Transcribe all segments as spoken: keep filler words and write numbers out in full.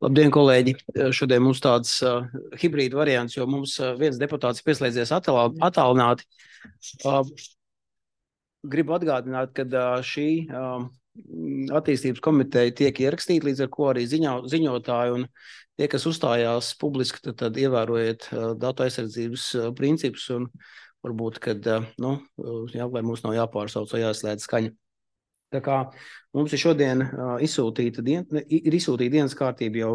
Labdien, kolēģi! Šodien mums tāds uh, hibrīda variants, jo mums uh, viens deputāts pieslēdzies attālināti. Uh, gribu atgādināt, ka uh, šī uh, attīstības komiteja tiek ierakstīta, līdz ar ko arī ziņo, ziņotāji un tie, kas uzstājās publiski, tad, tad ievērojiet uh, datu aizsardzības uh, principus un varbūt, kad, uh, nu, jā, lai mums nav jāpārsauc vai jāslēdz skaņa. Tā kā mums ir šodien uh, izsūtīta, dien, ir izsūtīta dienas kārtība jau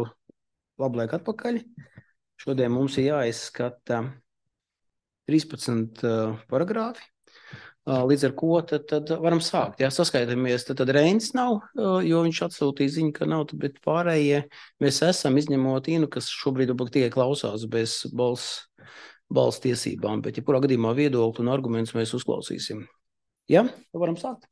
labu laiku atpakaļ. Šodien mums ir jāizskata trīspadsmit uh, paragrāfi. Uh, līdz ar ko tad, tad varam sākt. Jā, saskaitamies, tad, tad Reinis nav, uh, jo viņš atsūtīja ziņu, ka nav, bet pārējie mēs esam izņemot Inu, kas šobrīd tikai klausās bez balss, balss tiesībām, bet ja kurā gadījumā viedokli un argumentus mēs uzklausīsim. Jā, varam sākt.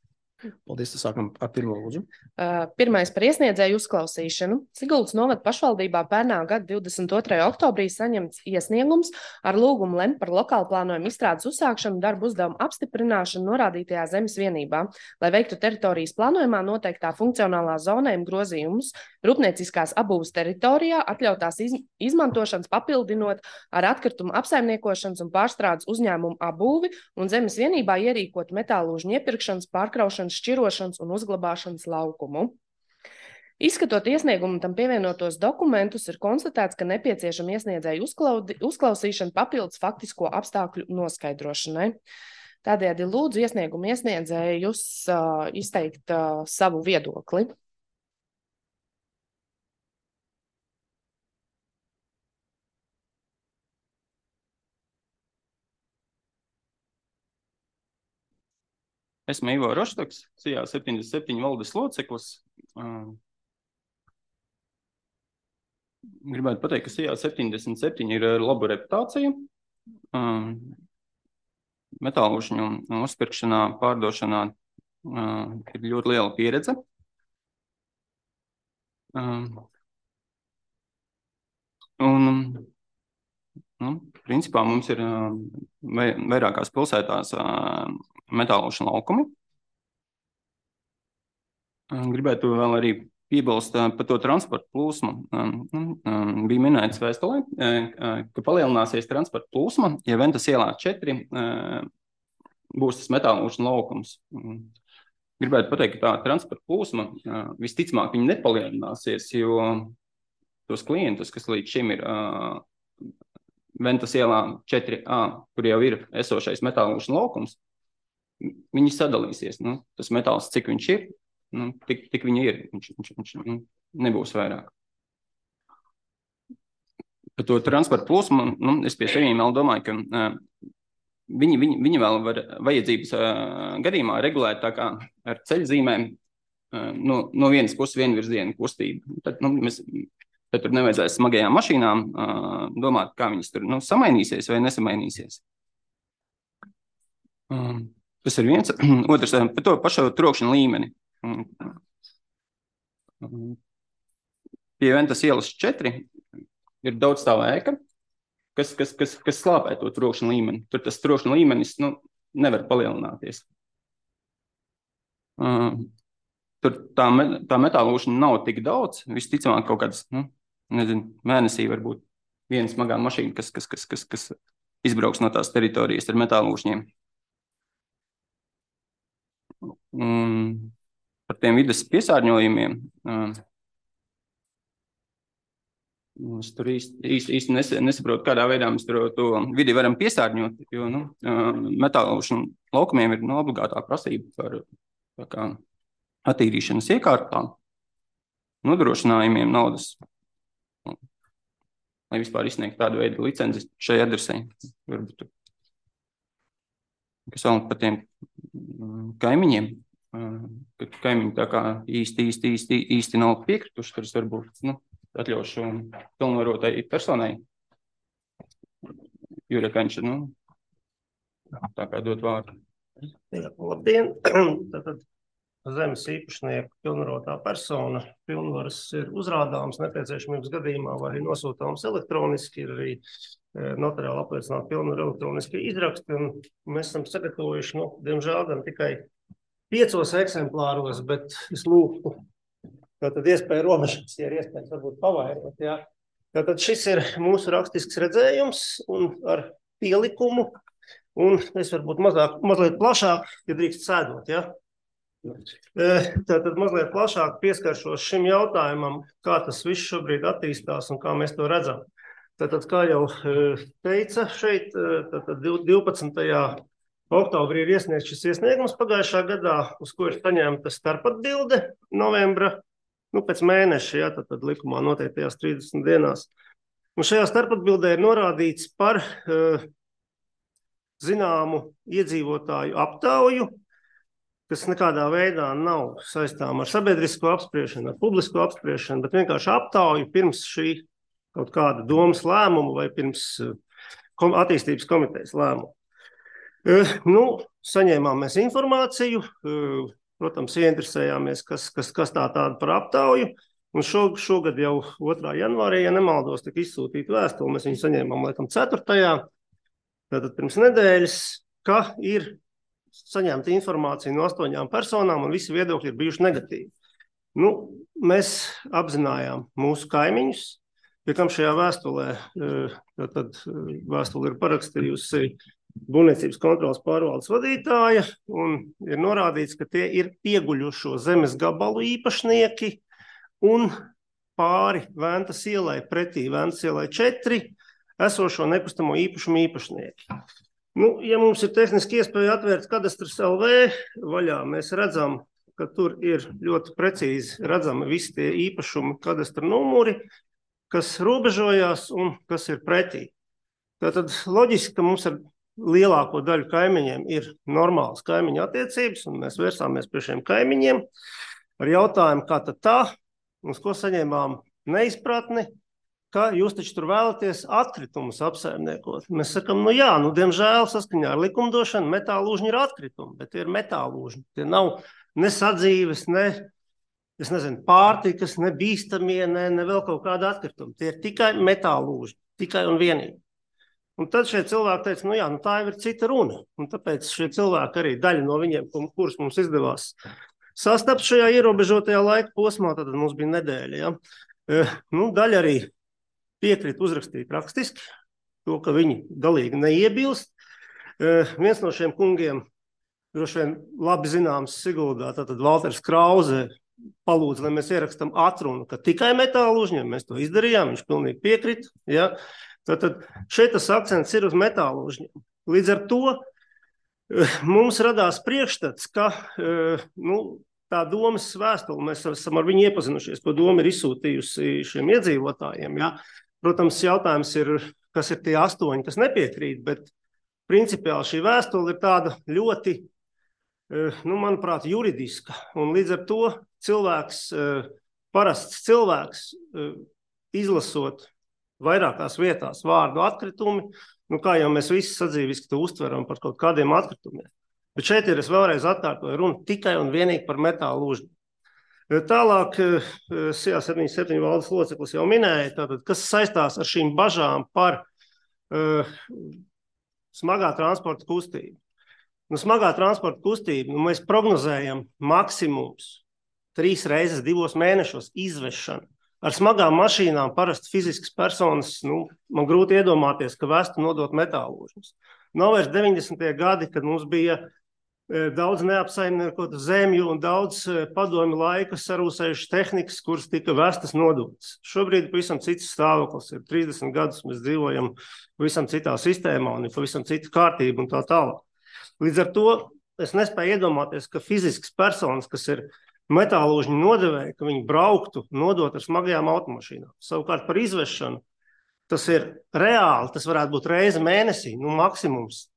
Paldies, tas sākam ar pirmo lūdzu. Uh, pirmais par iesniedzēju uzklausīšanu. Siguldas novada pašvaldībā pērnā gada divdesmit otrajā oktobrī saņemts iesniegums ar lūgumu lemt par lokālu plānojumu izstrādes uzsākšanu darbu uzdevumu apstiprināšanu norādītajā zemes vienībā, lai veiktu teritorijas plānojumā noteiktā funkcionālā zonējuma grozījumus rūpnieciskās apbūves teritorijā, atļautās iz, izmantošanas papildinot ar atkritumu apsaimniekošanas un pārstrādes uzņēmumu apbūvi un zemes vienībā ierīkot metālūžņu iepirkšanas, pārkraušanas, šķirošanas un uzglabāšanas laukumu. Izskatot iesniegumu tam pievienotos dokumentus, ir konstatēts, ka nepieciešama iesniedzēju uzklaudi, uzklausīšana papildus faktisko apstākļu noskaidrošanai. Tādējādi lūdzu iesniegumu iesniedzējus uh, izteikt uh, savu viedokli. Esmu Ivo Roštoks, C I A septiņdesmit septiņi valdes loceklis. Gribētu pateikt, ka C I A septiņdesmit septiņi ir laba reputācija. Metālūžņu uzpirkšanā, pārdošanā ir ļoti liela pieredze. Un, nu, principā mums ir vairākās pilsētās metālūžņu laukumi. Gribētu vēl arī piebilst par to transporta plūsmu. Bija minēts vēstulē, ka palielināsies transporta plūsma, ja Ventas ielā četri būs tas metālūžņu laukums. Gribētu pateikt, ka tā transporta plūsma visticamāk viņa nepalielināsies, jo tos klientus, kas līdz šim ir Ventas ielā četri A, kur jau ir esošais metālūžņu laukums, viņi sadalīsies. Nu, tas metāls, cik viņš ir, nu, tik, tik viņi ir. Viņš, viņš, viņš nu, nebūs vairāk. Par to transporta plūsmu, nu, es pie sevīm vēl domāju, ka uh, viņi, viņi, viņi vēl var vajadzības uh, gadījumā regulēt tā kā ar ceļzīmēm uh, no, no vienas puses vienvirziena kustību. Tad, nu, mēs, tad tur nevajadzēs smagajām mašīnām uh, domāt, kā viņas tur nu, samainīsies vai nesamainīsies. Um, Tas ir viens. Otrs, par to pašu trokšņa līmeni. Pie Ventas ielas četri ir daudz stāvā ēka, kas, kas, kas, kas slāpē to trokšņa līmeni. Tur tas trokšņa līmenis nu, nevar palielināties. Tur tā, tā metālūžņa nav tik daudz. Visticamāk kaut kāds, nu, nezinu, mēnesī varbūt viena smagā mašīna, kas, kas, kas, kas, kas izbrauks no tās teritorijas ar metālūžņiem. Un par tiem vides piesārņojumiem es tur īsti, īsti, īsti nesaprotu, kādā veidā mēs tur to vidi varam piesārņot, jo nu, metālūžņu laukumiem ir nu, obligātā prasība par tā kā, attīrīšanas iekārtām, nodrošinājumiem naudas, lai vispār izsniegt tādu veidu licenci šai adresei. Varbūt, kas vēl par tiem kaimiņiem, ka kaimiņi tā kā īsti, īsti, īsti, īsti nav piekrituši, kuras varbūt nu, atļaušu pilnvarotai personai. Jūra Kaņša, nu, tā kā dot vārdu. Jā, labdien! Tātad zemes īpašnieku pilnvarotā persona pilnvaras ir uzrādāms nepieciešamības gadījumā vai nosūtāms elektroniski, ir arī notariāli apliecināt pilnvaru elektroniski izraksti, un mēs esam sagatavojuši, nu, diemžēl, gan tikai piecos eksemplāros, bet es lūgtu Tātad iespēja robežas, ja ir iespējams varbūt pavairot, jā. Tātad šis ir mūsu rakstisks redzējums un ar pielikumu, un es varbūt mazāk, mazliet plašāk, ja drīkst sēdot, jā. Tātad mazliet plašāk pieskaršos šim jautājumam, kā tas viss šobrīd attīstās un kā mēs to redzam. Tātad, kā jau teica šeit, tātad divpadsmitajā oktobrī ir iesniegts šis iesniegums pagājušā gadā, uz ko ir saņemta starpatbilde novembra, nu pēc mēneša, jā, tātad likumā noteiktajās trīsdesmit dienās. Un šajā starpatbildē ir norādīts par uh, zināmu iedzīvotāju aptauju, kas nekādā veidā nav saistām ar sabiedrisko apspriešanu, ar publisko apspriešanu, bet vienkārši aptauju pirms šī kaut kāda domas lēmumu vai pirms kom, attīstības komitejas lēmumu. Uh, nu, saņēmām mēs informāciju, uh, protams, ieinteresējāmies, kas, kas, kas tā tāda par aptauju, un šo, šogad jau otrā janvārī, ja nemaldos, tika izsūtīta vēstule, mēs viņu saņēmām laikam ceturtajā, tātad pirms nedēļas, ka ir saņemta informācija no astoņām personām, un visi viedokļi ir bijuši negatīvi. Nu, mēs apzinājām mūsu kaimiņus, pie kam šajā vēstulē, tad vēstule ir parakstījusi Būvniecības kontrolas pārvaldes vadītāja, un ir norādīts, ka tie ir pieguļušo zemes gabalu īpašnieki un pāri Ventas ielai, pretī Ventas ielai četri, esošo nekustamo īpašumu īpašnieki. Nu, ja mums ir tehniski iespēja atvērt kadastras L V vaļā, mēs redzam, ka tur ir ļoti precīzi redzami visi tie īpašumi kadastra numuri, kas robežojās un kas ir pretī. Tātad loģiski, ka mums ar lielāko daļu kaimiņiem ir normālas kaimiņu attiecības, un mēs vērsāmies pie šiem kaimiņiem ar jautājumu, kā tad tā, uz ko saņēmām neizpratni, ka jūs taču tur vēlaties atkritumus apsaimniekot. Mēs sakam, nu jā, nu diemžēl saskaņā ar likumdošanu metālūžņi ir atkritumi, bet tie ir metālūžņi. Tie nav ne sadzīves, ne, es nezinu, pārtikas, ne bīstamie, ne, ne vēl kaut kāda atkrituma. Tie ir tikai metālūžņi, tikai un vienīgi. Un tad šie cilvēki teica, nu jā, nu tā jau ir cita runa. Un tāpēc šie cilvēki arī daļa no viņiem, kurus mums izdevās sastapt šajā ierobežotajā laika posmā, tad mums bija nedēļa. Ja? E, nu, daļa arī piekrīt uzrakstīt rakstiski, to, ka viņi galīgi neiebilst. E, viens no šiem kungiem, droši vien labi zināms Siguldā, tātad Valters Krauze, palūdz, lai mēs ierakstam atrunu, ka tikai metālūžņiem mēs to izdarījām, viņš pilnīgi piekrīt, ja? Tātad šeit tas akcents ir uz metālūžņiem. Līdz ar to mums radās priekšstats, ka nu, tā domas vēstule, mēs esam ar viņu iepazinušies, to doma ir izsūtījusi šiem iedzīvotājiem. Ja? Protams, jautājums ir, kas ir tie astoņi, kas nepiekrīt, bet principiāli šī vēstule ir tāda ļoti, nu, manuprāt, juridiska. Un līdz ar to cilvēks, parasts cilvēks, izlasot vairākās vietās vārdu atkritumi, nu kā jau mēs visi sadzīviski to uztveram par kaut kādiem atkritumiem. Bet šeit ir, es vēlreiz atkārtoju, runa tikai un vienīgi par metālūžņu. Tālāk, S I A septiņdesmit septiņi valdes loceklis jau minēja, tātad, kas saistās ar šīm bažām par uh, smagā transporta kustību. Nu, smagā transporta kustība, nu, mēs prognozējam maksimums trīs reizes divos mēnešos izvešanu. Ar smagām mašīnām parasti fiziskas personas, nu, man grūti iedomāties, ka vestu nodot metālūžņus. Nav vairs deviņdesmitie gadi, kad mums bija e, daudz neapsaimniekotu zemju un daudz e, padomju laika sarūsējušas tehnikas, kuras tika vestas nodotas. Šobrīd pavisam cits stāvoklis ir trīsdesmit gadus, mēs dzīvojam pavisam citā sistēmā un ir pavisam cita kārtība un tā tālāk. Līdz ar to es nespēju iedomāties, ka fiziskas personas, kas ir metālūžņu nodevēja, ka viņi brauktu nodot ar smagajām automašīnām. Savukārt par izvešanu, tas ir reāli, tas varētu būt reize mēnesī, nu maksimums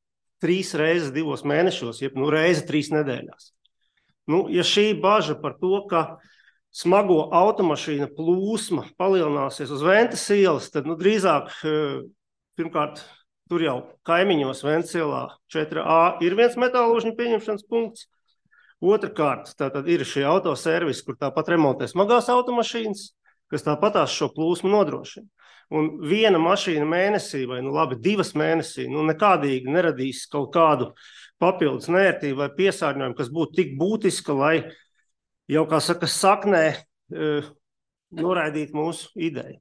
trīs reizes divos mēnešos, jeb nu reize trīs nedēļās. Nu, ja šī baža par to, ka smago automašīna plūsma palielināsies uz Ventas ielas, tad nu drīzāk, pirmkārt, tur jau kaimiņos Ventas ielā četri A ir viens metālūžņu pieņemšanas punkts. Otrakārt, tātad ir šie autoservisi, kur tāpat remontē smagās automašīnas, kas tāpatās šo plūsmu nodrošina. Un viena mašīna mēnesī, vai nu labi, divas mēnesī, nu nekādīgi neradīs kaut kādu papildus nērtību vai piesārņojumu, kas būtu tik būtiska, lai jau, kā saka, saknē noraidīt mūsu ideju.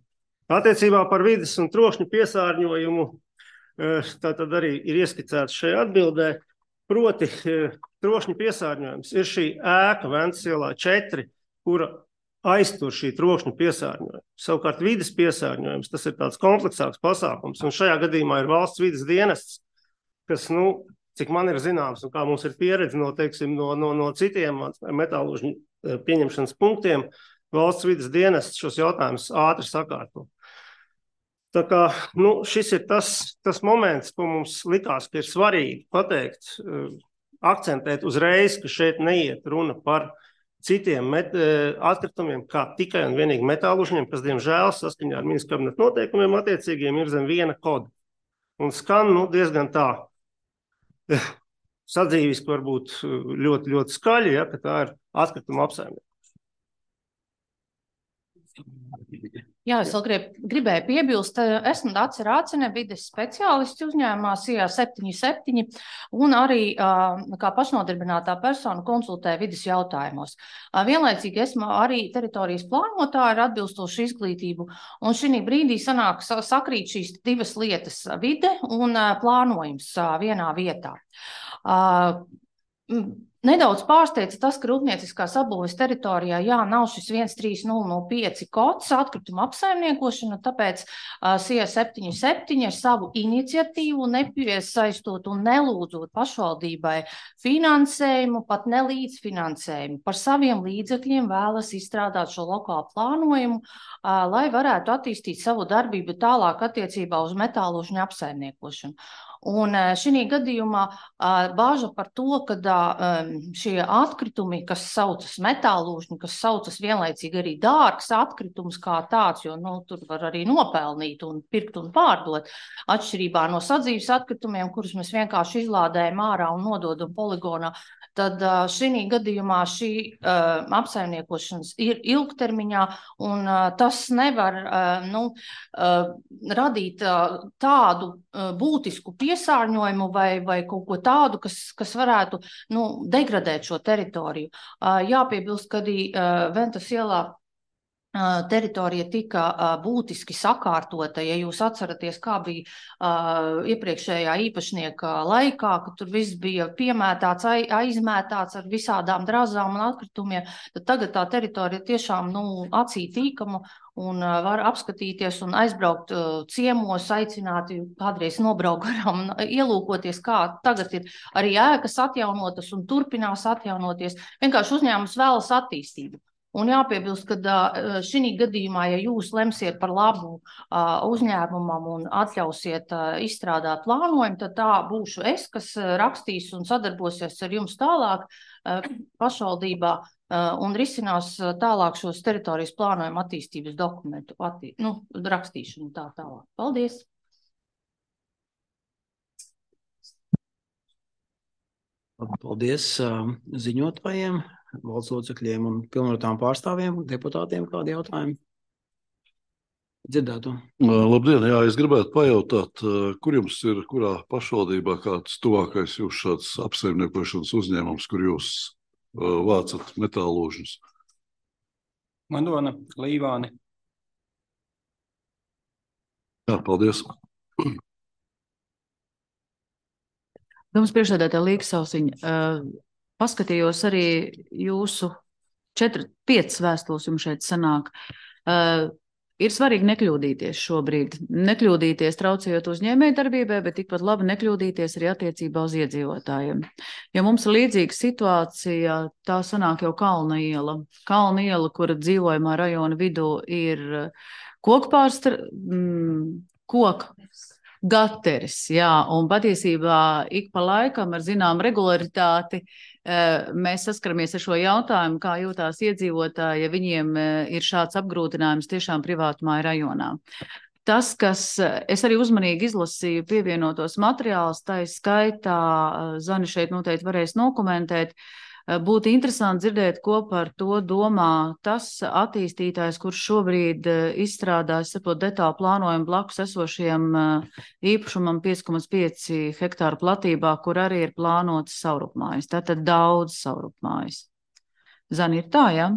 Attiecībā par vides un trokšņu piesārņojumu tātad arī ir ieskicēts šajā atbildē, proti trokšņu piesārņojums ir šī ēka Ventas ielā četri, kura aiztur šī trokšņu piesārņojumu. Savukārt vides piesārņojums, tas ir tāds kompleksāks pasākums, un šajā gadījumā ir valsts vides dienests, kas, nu, cik man ir zināms, un kā mums ir pieredze no, teiksim, no, no, no citiem metālužņu pieņemšanas punktiem, valsts vides dienests šos jautājumus ātri sakārto. Tā kā, nu, šis ir tas, tas moments, ko mums likās, ka ir svarīgi pateikt, akcentēt uzreiz, ka šeit neiet runa par citiem met, atkritumiem, kā tikai un vienīgi metālužņiem, kas, diemžēl, saskaņā ar ministra kabineta noteikumiem attiecīgiem ir zem viena koda. Un skan, nu, diezgan tā sadzīviski varbūt ļoti, ļoti skaļi, ja, ka tā ir atkrituma apsaimniekšana. Jā, es vēl grib, gribēju piebilst, esmu Dace Rācene, vides speciālists uzņēmumā S I A septiņi septiņi un arī kā pašnodarbinātā persona konsultē vides jautājumos. Vienlaicīgi esmu arī teritorijas plānotāja ar atbilstošu izglītību, un šī brīdī sanāk sakrīt šīs divas lietas - vide un plānojums vienā vietā. Nedaudz pārsteidz tas, ka rūpnieciskās apbūves teritorijā, jā, nav šis viens trīs nulle nulle pieci kods atkrituma apsaimniekošana, tāpēc S I A septiņi septiņi ar savu iniciatīvu nepiesaistot un nelūdzot pašvaldībai finansējumu, pat ne līdzfinansējumu, par saviem līdzekļiem vēlas izstrādāt šo lokālu plānojumu, lai varētu attīstīt savu darbību tālāk attiecībā uz metālužņu apsaimniekošanu. Un šī gadījumā bāža par to, ka šie atkritumi, kas saucas metālužņi, kas saucas vienlaicīgi arī dārgs atkritums kā tāds, jo nu, tur var arī nopelnīt un pirkt un pārdot, atšķirībā no sadzīves atkritumiem, kurus mēs vienkārši izlādējam ārā un nododam poligonā, tad šī gadījumā šī uh, apsaimniekošanas ir ilgtermiņā, un uh, tas nevar uh, nu, uh, radīt uh, tādu uh, būtisku piesārņojumu vai, vai kaut ko tādu, kas, kas varētu nu, degradēt šo teritoriju. Uh, jāpiebilst, ka arī uh, Ventas ielā teritorija tika būtiski sakārtota, ja jūs atceraties, kā bija uh, iepriekšējā īpašnieka laikā, ka tur viss bija piemētāts, aizmētāts ar visādām drazām un atkritumiem, tad tagad tā teritorija tiešām nu, acī tīkama un uh, var apskatīties un aizbraukt uh, ciemos, aicināt, kādreiz nobraukt garām un ielūkoties, kā tagad ir arī ēkas atjaunotas un turpinās atjaunoties. Vienkārši uzņēmums vēlas attīstību. Un jāpiebilst, ka šī gadījumā, ja jūs lemsiet par labu uzņēmumam un atļausiet izstrādāt plānojumu, tad tā būšu es, kas rakstīs un sadarbosies ar jums tālāk pašvaldībā un risinās tālāk šos teritorijas plānojumu attīstības dokumentu attī, nu, rakstīšanu tā tālāk. Paldies! Paldies ziņotājiem, valsts locekļiem un pilnvarotām pārstāvjiem, deputātiem, kādi jautājumi? Dzirdētu. Labdien, jā, es gribētu pajautāt, kur jums ir, kurā pašvaldībā kāds tuvākais jūs šāds apsaimniekošanas uzņēmums, kur jūs uh, vācat metālūžņus? Madona, Līvāni. Jā, paldies. Jums priekšsēdētāja Līksausiņa, uh, paskatījos arī jūsu četri, piecas vēstules jums šeit sanāk. Uh, ir svarīgi nekļūdīties šobrīd. Nekļūdīties traucējot uzņēmējdarbībai, bet tikpat labi nekļūdīties arī attiecībā uz iedzīvotājiem. Ja mums ir līdzīga situācija, tā sanāk jau Kalna iela. Kalna iela, kura dzīvojamā rajona vidū ir kokpārstra, mm, koka. Gateris, jā, un patiesībā ik pa laikam ar zinām regularitāti mēs saskaramies ar šo jautājumu, kā jūtās iedzīvotāji, ja viņiem ir šāds apgrūtinājums tiešām privātumā rajonā. Tas, kas es arī uzmanīgi izlasīju pievienotos materiālus, tā ir skaitā, Zani šeit noteikti varēs nokomentēt, būtu interesanti dzirdēt, ko par to domā tas attīstītājs, kurš šobrīd izstrādājas, sapot, detālu plānojumu blakus esošiem īpašumam pieci komats pieci hektāru platībā, kur arī ir plānotas saurupmājas. Tātad daudz saurupmājas. Zani, ir tā, jā?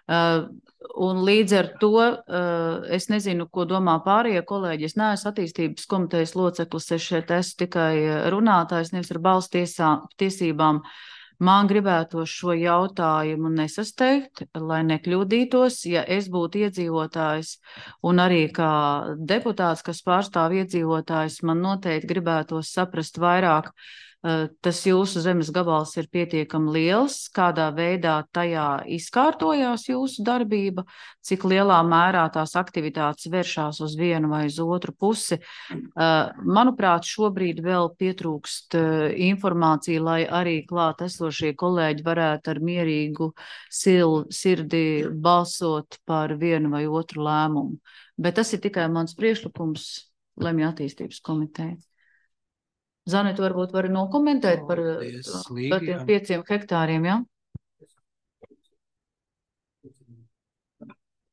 Uh, un līdz ar to uh, es nezinu, ko domā pārējie kolēģi. Es neesmu attīstības komitejas loceklis, es šeit esmu tikai runātājs, nevis ar balss tiesā, tiesībām. Man gribētos šo jautājumu nesasteigt, lai nekļūdītos, ja es būtu iedzīvotājs un arī kā deputāts, kas pārstāv iedzīvotājs, man noteikti gribētos saprast vairāk. Tas jūsu zemes gabals ir pietiekami liels, kādā veidā tajā izkārtojās jūsu darbība, cik lielā mērā tās aktivitātes vēršās uz vienu vai uz otru pusi. Manuprāt, šobrīd vēl pietrūkst informācija, lai arī klāt esošie kolēģi varētu ar mierīgu sil, sirdi balsot par vienu vai otru lēmumu. Bet tas ir tikai mans priekšlikums Lemju attīstības komiteja. Zane, tu varbūt vari nokomentēt par, par tiem pieciem hektāriem, jā?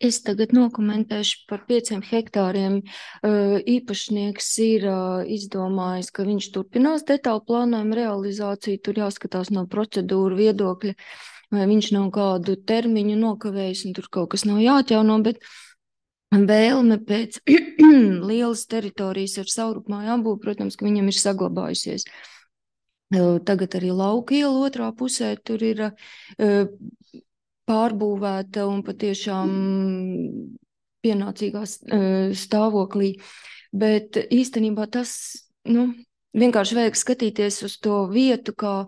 Es tagad nokomentēšu par pieciem hektāriem. Īpašnieks ir izdomājis, ka viņš turpinās detālu plānojumu realizāciju. Tur jāskatās no procedūru viedokļa, vai viņš nav kādu termiņu nokavējis un tur kaut kas nav jāatjauno, bet vēlme pēc lielas teritorijas ar savrupmāju apbūvi, protams, ka viņam ir saglabājusies. Tagad arī lauka iela otrā pusē tur ir pārbūvēta un patiešām pienācīgā stāvoklī. Bet īstenībā tas, nu, vienkārši vajag skatīties uz to vietu, kā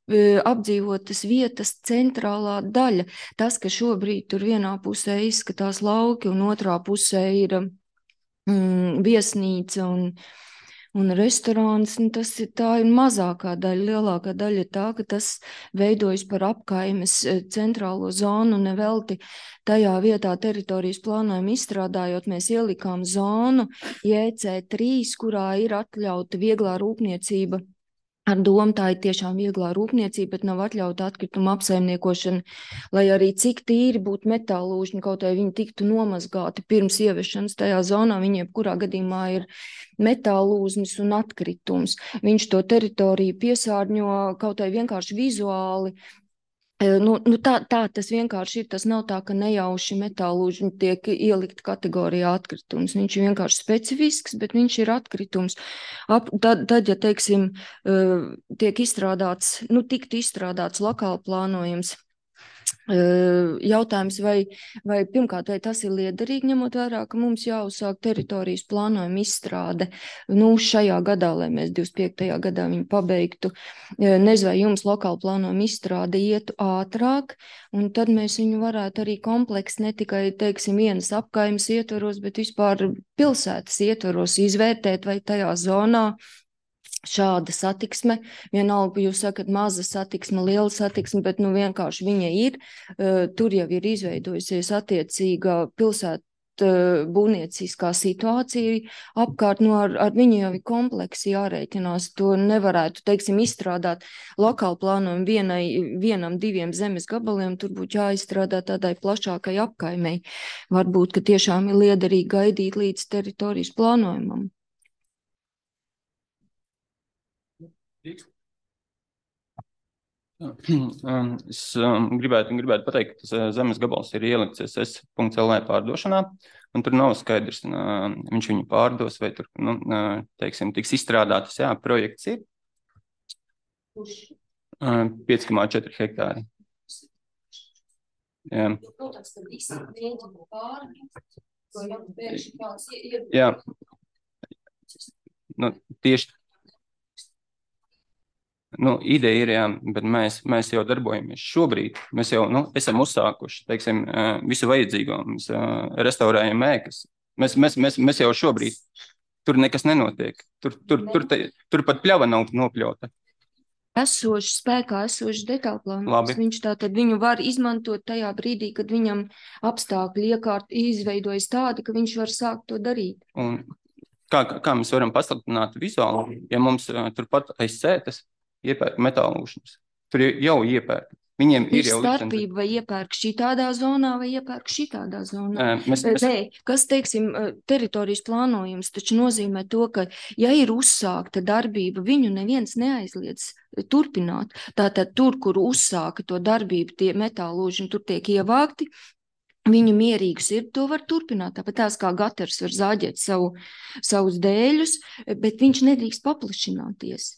apdzīvotas vietas centrālā daļa. Tas, ka šobrīd tur vienā pusē izskatās lauki un otrā pusē ir mm, viesnīca un, un restorāns, un tas ir, tā ir mazākā daļa. Lielākā daļa ir tā, ka tas veidojas par apkaimes centrālo zonu, un nevelti tajā vietā teritorijas plānojumu izstrādājot, mēs ielikām zonu J C trīs, kurā ir atļauta vieglā rūpniecība. Ar domu tā ir tiešām vieglā rūpniecība, bet nav atļauta atkrituma apsaimniekošana, lai arī cik tīri būtu metālūžņi, kaut vai viņi tiktu nomazgāti pirms ieviešanas tajā zonā, viņiem kurā gadījumā ir metālūznis un atkritums. Viņš to teritoriju piesārņo kaut vai vienkārši vizuāli. Nu, nu tā, tā tas vienkārši ir, tas nav tā, ka nejauši metālūžņi tiek ielikt kategorijā atkritums. Viņš ir vienkārši specifisks, bet viņš ir atkritums. Ap, tad, tad, ja, teiksim, tiek izstrādāts, nu, tikt izstrādāts lokāli plānojums, jautājums, vai, vai pirmkārt, vai tas ir liederīgi, ņemot vērā, ka mums jāuzsāk teritorijas plānojuma izstrāde, nu, šajā gadā, lai mēs divdesmit piektajā gadā viņu pabeigtu. Nezinu, vai jums lokāla plānojuma izstrāde ietu ātrāk, un tad mēs viņu varētu arī kompleksi, ne tikai, teiksim, vienas apkaimes ietvaros, bet vispār pilsētas ietvaros izvērtēt, vai tajā zonā šāda satiksme, vienalga, jūs sakat, maza satiksme, liela satiksme, bet nu vienkārši viņa ir, tur jau ir izveidojusies attiecīga pilsēta būvnieciskā situācija apkārt, nu ar, ar viņu jau ir kompleksi jārēķinās, to nevarētu, teiksim, izstrādāt lokāli plānojumu vienai, vienam, diviem zemes gabaliem, tur būtu jāizstrādā tādai plašākai apkaimei. Varbūt, ka tiešām ir liederīgi gaidīt līdz teritorijas plānojumam. Es um, gribētu, gribētu pateikt, ka tas zemes gabals ir ielikts S S punkts L V pārdošanā, un tur nav skaidrs, uh, viņš viņu pārdos, vai tur, nu, uh, teiksim, tiks izstrādātas, jā, projekts ir uh, pieci komā četri hektāri. Jā. Jā. Nu, tieši Nu, ideja ir, jā, bet mēs, mēs jau darbojamies šobrīd. Mēs jau nu, esam uzsākuši, teiksim, visu vajadzīgo. Mēs restaurējam ēkas. Mēs, mēs, mēs, mēs jau šobrīd, tur nekas nenotiek. Tur, tur, tur, te, tur pat pļava nav nopļauta. Esoši spēkā, esoši detālplānojums. Viņš tātad viņu var izmantot tajā brīdī, kad viņam apstākļi iekārt izveidojas tādi, ka viņš var sākt to darīt. Un kā, kā mēs varam pasliktināt vizuāli, ja mums turpat aiz sētas iepērk metālūšņus. Tur jau iepērk. Viņiem ir Ir jau starpība, vai iepērk šitādā zonā, vai iepērk šitādā zonā. Uh, mēs, mēs... Nē, kas, teiksim, teritorijas plānojums taču nozīmē to, ka, ja ir uzsākta darbība, viņu neviens neaizliedz turpināt. Tātad tur, kur uzsāka to darbību, tie metālūži tur tiek ievākti, viņu mierīgus ir, to var turpināt. Tāpat tās kā gatars var zāģēt savu, savus dēļus, bet viņš nedrīkst paplašināties.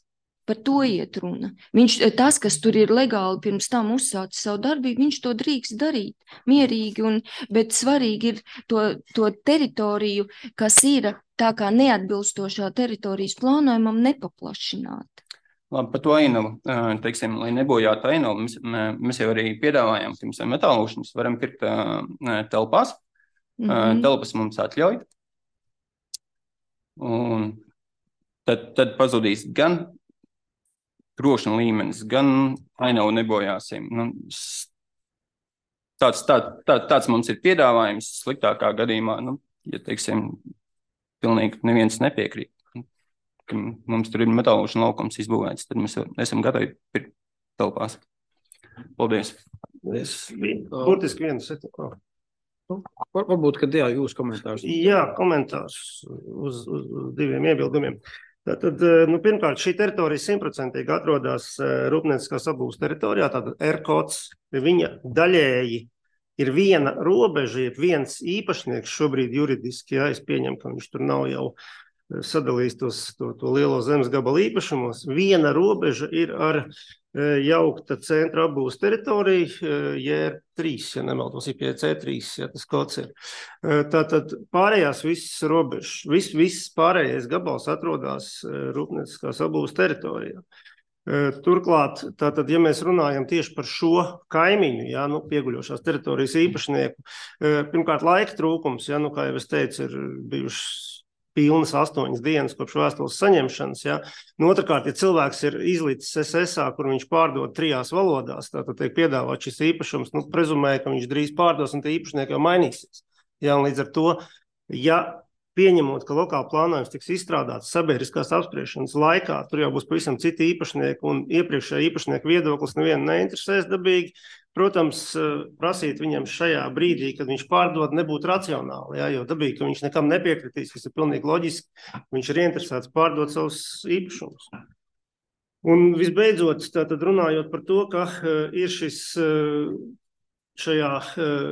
Par to iet runa. Viņš, tas, kas tur ir legāli pirms tam uzsācis savu darbību, viņš to drīkst darīt mierīgi, un, bet svarīgi ir to, to teritoriju, kas ir tā kā neatbilstošā teritorijas plānojumam, nepaplašināt. Labi, par to ainavu, teiksim, lai nebojātu ainavu, mēs, mēs jau arī piedāvājam, ka mums metālūšanas varam pirkt telpās. Mm-hmm. Telpas mums atļauj. Un tad, tad pazudīs gan trokšņa līmenis, gan ainavu nebojāsim. Nu, tāds, tā, tā, tāds mums ir piedāvājums sliktākā gadījumā, nu, ja, teiksim, pilnīgi neviens nepiekrīt, ka mums tur ir metālūšana laukums izbūvēts, tad mēs esam gatavi pirkt telpās. Paldies. Es burtiski vienu sekundu. Varbūt, kad jā, jūs komentārs. Jā, komentārs uz, uz, uz diviem iebildumiem. Tātad, nu, pirmkārt, šī teritorija simtprocentīgi atrodas rūpnieciskās apgūves teritorijā, tātad R-kods, viņa daļēji ir viena robeža, ir viens īpašnieks šobrīd juridiski, jā, es pieņemu, ka viņš tur nav jau sadalījis tos, to, to lielo zemes gabalu īpašumos. Viena robeža ir ar jaukta centra apgūves teritorija, J R trīs, ja nemaldos, I P C trīs, ja tas kods ir. Tātad pārējās visas robežas, viss, viss pārējais gabals atrodas rūpnieciskās apgūves teritorijā. Turklāt, tātad, ja mēs runājam tieši par šo kaimiņu, ja, nu, pieguļošās teritorijas īpašnieku, pirmkārt laika trūkums, ja, nu, kā jau es teicu, ir bijušas pilnas astoņas dienas kopš vēstules saņemšanas. Ja. Nu, otrkārt, ja cilvēks ir izlicis S S A, kur viņš pārdod trijās valodās, tātad tiek piedāvāt šis īpašums, nu, prezumēja, ka viņš drīz pārdos un tie īpašnieki jau mainīsies. Ja, un līdz ar to, ja pieņemot, ka lokāla plānojums tiks izstrādāts sabiedriskās apspriešanas laikā, tur jau būs pavisam citi īpašnieki un iepriekšējā īpašnieku viedoklis nevienu neinteresēs dabīgi. Protams, prasīt viņam šajā brīdī, kad viņš pārdod, nebūtu racionāli, ja, jo dabīgi, ka viņš nekam nepiekritīs, kas ir pilnīgi loģiski, viņš ir ieinteresēts pārdot savus īpašumus. Un visbeidzot, tātad runājot par to, ka ir šis šajā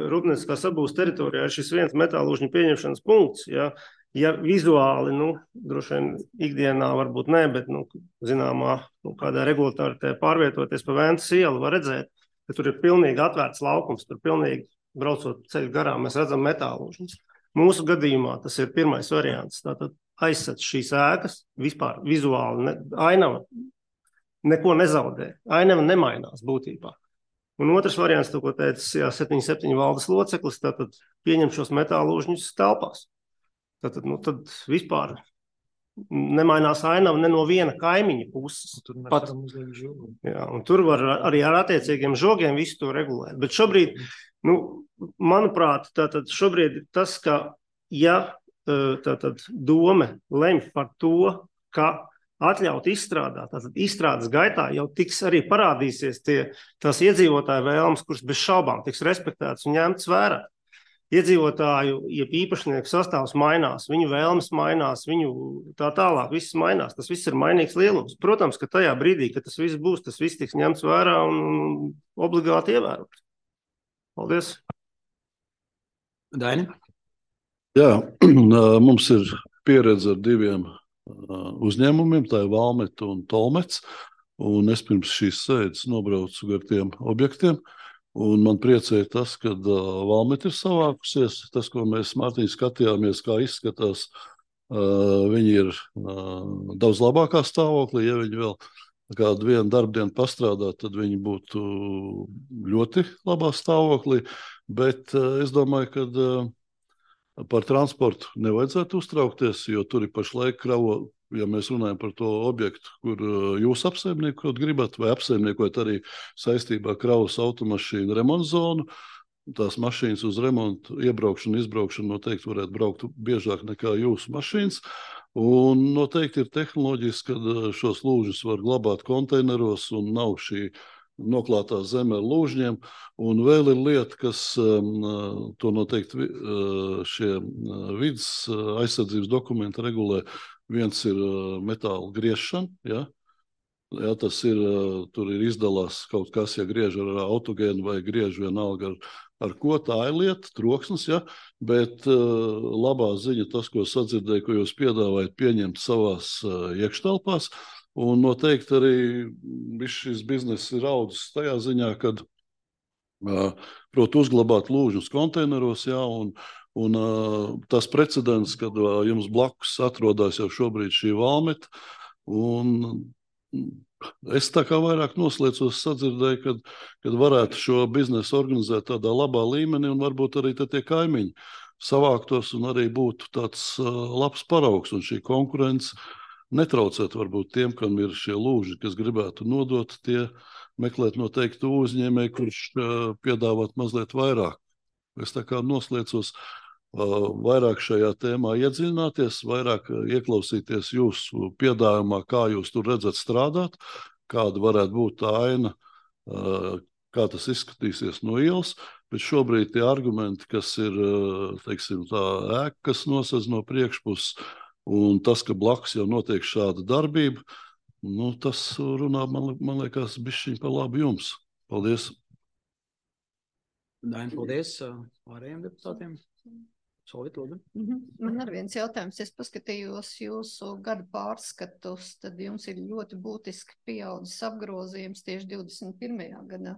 rūpnieciskās apgūves teritorijā ir šis viens metālūžņu pieņemšanas punkts, ja, ja vizuāli, nu, droši vien ikdienā varbūt ne, bet, nu, zināmā, nu, kādā regulatoritē pārvietoties pa Ventas ielu var redzēt, ka tur ir pilnīgi atvērts laukums, tur pilnīgi braucot ceļu garām, mēs redzam metālūžņus. Mūsu gadījumā tas ir pirmais variants, tātad aizsat šīs ēkas, vispār vizuāli, ne, ainava neko nezaudē, ainava nemainās būtībā. Un otrs variants, to, ko teica, jā, septiņi septiņi valdes loceklis, tātad pieņem šos metālūžņus telpās. Tātad, nu, tad vispār nemainās ainava ne no viena kaimiņa puses. Tur pat, jā, un tur var arī ar attiecīgiem žogiem visu to regulēt. Bet šobrīd, nu, manuprāt, tātad šobrīd tas, ka ja tātad dome lemj par to, ka atļaut izstrādāt, tātad izstrādes gaitā jau tiks arī parādīsies tie, tās iedzīvotāju vēlmes, kuras bez šaubām tiks respektētas un ņemtas vērā. Iedzīvotāju, ja īpašnieku sastāvs mainās, viņu vēlmes mainās, viņu tā tālāk, viss mainās, tas viss ir mainīgs lielums. Protams, ka tajā brīdī, kad tas viss būs, tas viss tiks ņemts vērā un obligāti ievērots. Paldies. Daini? Jā, mums ir pieredze ar diviem uzņēmumiem, tā ir Valmeta un Tolmets, un es pirms šīs sēdes nobraucu gar tiem objektiem, un man priecēja tas, ka uh, Valmeta ir savākusies, tas, ko mēs Mārtiņ skatījāmies, kā izskatās, uh, viņi ir uh, daudz labākā stāvoklī, ja viņi vēl kādu vienu darbdienu pastrādā, tad viņi būtu ļoti labā stāvoklī, bet uh, es domāju, ka uh, par transportu nevajadzētu uztraukties, jo tur ir pašlaik kravo, ja mēs runājam par to objektu, kur jūs apsaimniekot gribat, vai apsaimniekot arī saistībā kravas automašīnu remontu zonu, tās mašīnas uz remontu, iebraukšanu, izbraukšanu noteikti varētu braukt biežāk nekā jūsu mašīnas, un noteikti ir tehnoloģijas, kad šos lūžus var glabāt konteineros un nav šī noklātā zeme ar lūžņiem. Un vēl ir lieta, kas um, to noteikti uh, šie uh, vidas uh, aizsardzības dokumenti regulē. Viens ir uh, metāla griešana, ja? Ja, tas ir, uh, tur ir izdalās kaut kas, ja griež ar autogēnu vai griež vienalga ar, ar ko, tā ir lieta, troksnis, ja? Bet uh, labā ziņa tas, ko sadzirdēju, ko jūs piedāvājat pieņemt savās uh, iekštelpās. Un noteikti arī viss šis bizness ir audzis tajā ziņā, kad uh, prot uzglabāt lūžņus konteineros, jā, un, un uh, tas precedents, kad uh, jums blakus atrodas jau šobrīd šī valmeta, un es tā kā vairāk noslēdzos sadzirdēju, kad, kad varētu šo biznesu organizēt tādā labā līmenī, un varbūt arī tie kaimiņi savāktos un arī būtu tāds uh, labs paraugs, un šī konkurence netraucēt varbūt tiem, kam ir šie lūži, kas gribētu nodot, tie meklēt noteikti uzņēmēju, kurš uh, piedāvāt mazliet vairāk. Es tā kā noslēdzos uh, vairāk šajā tēmā iedziļināties, vairāk uh, ieklausīties jūsu piedāvājumā, kā jūs tur redzat strādāt, kāda varētu būt tā aina, uh, kā tas izskatīsies no ielas, bet šobrīd tie argumenti, kas ir, uh, teiksim, tā ēka, kas nosedz no priekšpuses, un tas, ka blakus jau notiek šāda darbība, nu, tas runā, man, man liekas, bišķiņ par labu jums. Paldies. Daina, paldies pārējiem deputātiem. Solīt, lūdzu. Mm-hmm. Man ar viens jautājums. Es paskatījos jūsu gada pārskatus, tad jums ir ļoti būtiski pieaudzis apgrozījums tieši divdesmit pirmajā gadā.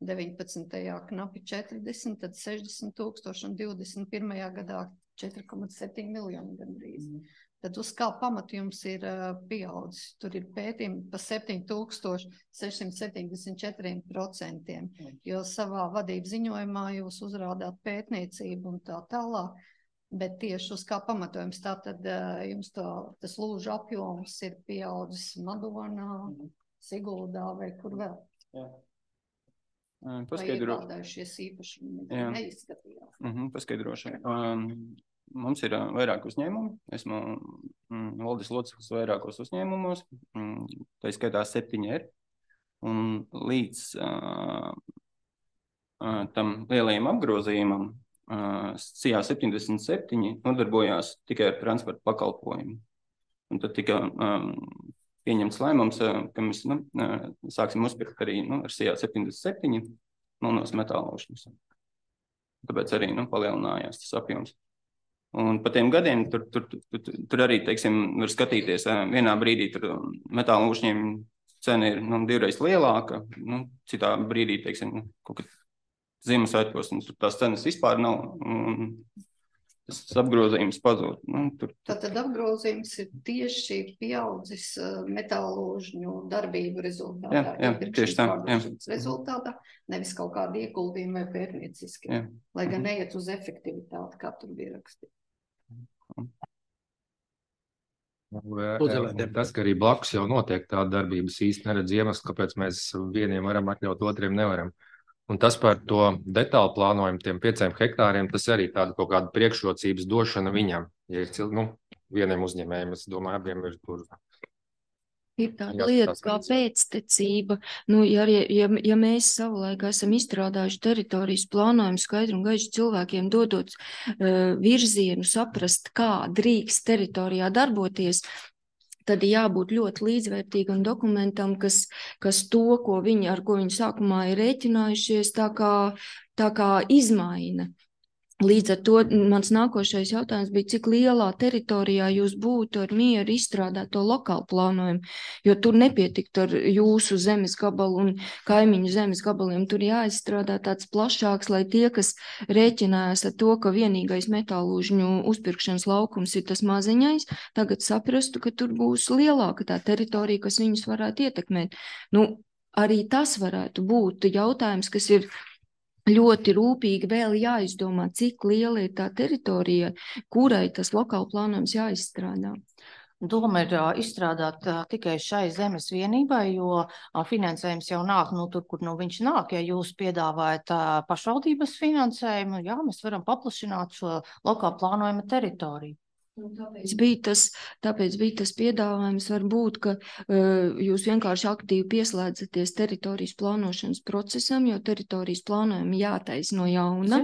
deviņpadsmitajā knapi četrdesmit, tad sešdesmit tūkstoši un divdesmit pirmajā gadā četri komats septiņi miljoni gandrīz. Mm. Tad uz kā pamatu jums ir uh, pieaudzis? Tur ir pētījumi pa septiņi tūkstoši sešsimt septiņdesmit četri procenti, mm. jo savā vadības ziņojumā jūs uzrādāt pētniecību un tā tālāk, bet tieši uz kā pamatojums tātad uh, jums to, tas lūžu apjoms ir pieaudzis Madonā, mm. Siguldā vai kur vēl? Jā. Paskaidro... Vai iegādājušies īpašumi neizskatījās? Uh-huh, paskaidrošu. Um, mums ir uh, vairāk uzņēmumi. Esmu mm, valdes loceklis vairākos uzņēmumos. Mm, tā skaitā septiņi ir. Un līdz uh, uh, tam lielajam apgrozījumam uh, C I A septiņdesmit septiņi nodarbojās tikai ar transporta pakalpojumu. Un tad tika um, pieņemts lēmums, ka mēs nu, sāksim uzpirkt arī nu, ar C I A septiņdesmit septiņi melnos metālaušņus. Tāpēc arī nu, palielinājās tas apjoms. Un pa tiem gadiem tur, tur, tur, tur arī, teiksim, var skatīties, vienā brīdī tur metālaušņiem cena ir nu, divreiz lielāka, nu, citā brīdī, teiksim, kaut kad Ziemassvētkos, un tur tās cenas vispār nav. Un, tas apgrozījums pazūd. Nu, tur, tur. Tātad apgrozījums ir tieši pieaudzis uh, metālūžņu darbību rezultātā. Jā, jā, tieši tā. Jā. Rezultātā, nevis kaut kādi ieguldījumi vai pērnieciski. Jā. Lai gan mm-hmm. neiet uz efektivitāti, kā tur bija rakstīts. Tas, ka arī blakus jau notiek tāda darbības īsti neredz iemeslu, kāpēc mēs vieniem varam atļaut, otriem nevaram. Un tas par to detālu plānojumu, tiem pieciem hektāriem, tas arī tāda kaut kāda priekšrocības došana viņam. Ja ir cil... nu, vieniem uzņēmējiem, es domāju, abiem ir tur. Ir tāda lieta kā pēctecība. Nu, ja, ja, ja mēs savulaik esam izstrādājuši teritorijas plānojumu skaidru un gaišu cilvēkiem dodot uh, virzienu, saprast, kā drīkst teritorijā darboties, tad jābūt ļoti līdzvērtīgam dokumentam, kas, kas to, ko viņi, ar ko viņi sākumā ir rēķinājušies, tā kā, tā kā izmaina. Līdz ar to mans nākošais jautājums bija, cik lielā teritorijā jūs būtu ar mieru izstrādāt to lokālu plānojumu, jo tur nepietiktu ar jūsu zemes gabalu un kaimiņu zemes gabaliem. Tur jāizstrādā tāds plašāks, lai tie, kas rēķinājās ar to, ka vienīgais metālūžņu uzpirkšanas laukums ir tas maziņais, tagad saprastu, ka tur būs lielāka tā teritorija, kas viņus varētu ietekmēt. Nu, arī tas varētu būt jautājums, kas ir ļoti rūpīgi vēl jāizdomā, cik liela ir tā teritorija, kurai tas lokāli plānojums jāizstrādā. Doma ir uh, izstrādāt uh, tikai šai zemes vienībai, jo uh, finansējums jau nāk, nu, tur, kur nu, viņš nāk. Ja jūs piedāvājat uh, pašvaldības finansējumu, jā, mēs varam paplašināt šo lokāli plānojuma teritoriju. Tāpēc bija tas, tāpēc bija tas piedāvājums varbūt, ka uh, jūs vienkārši aktīvi pieslēdzaties teritorijas plānošanas procesam, jo teritorijas plānojumu jātaisa no jauna,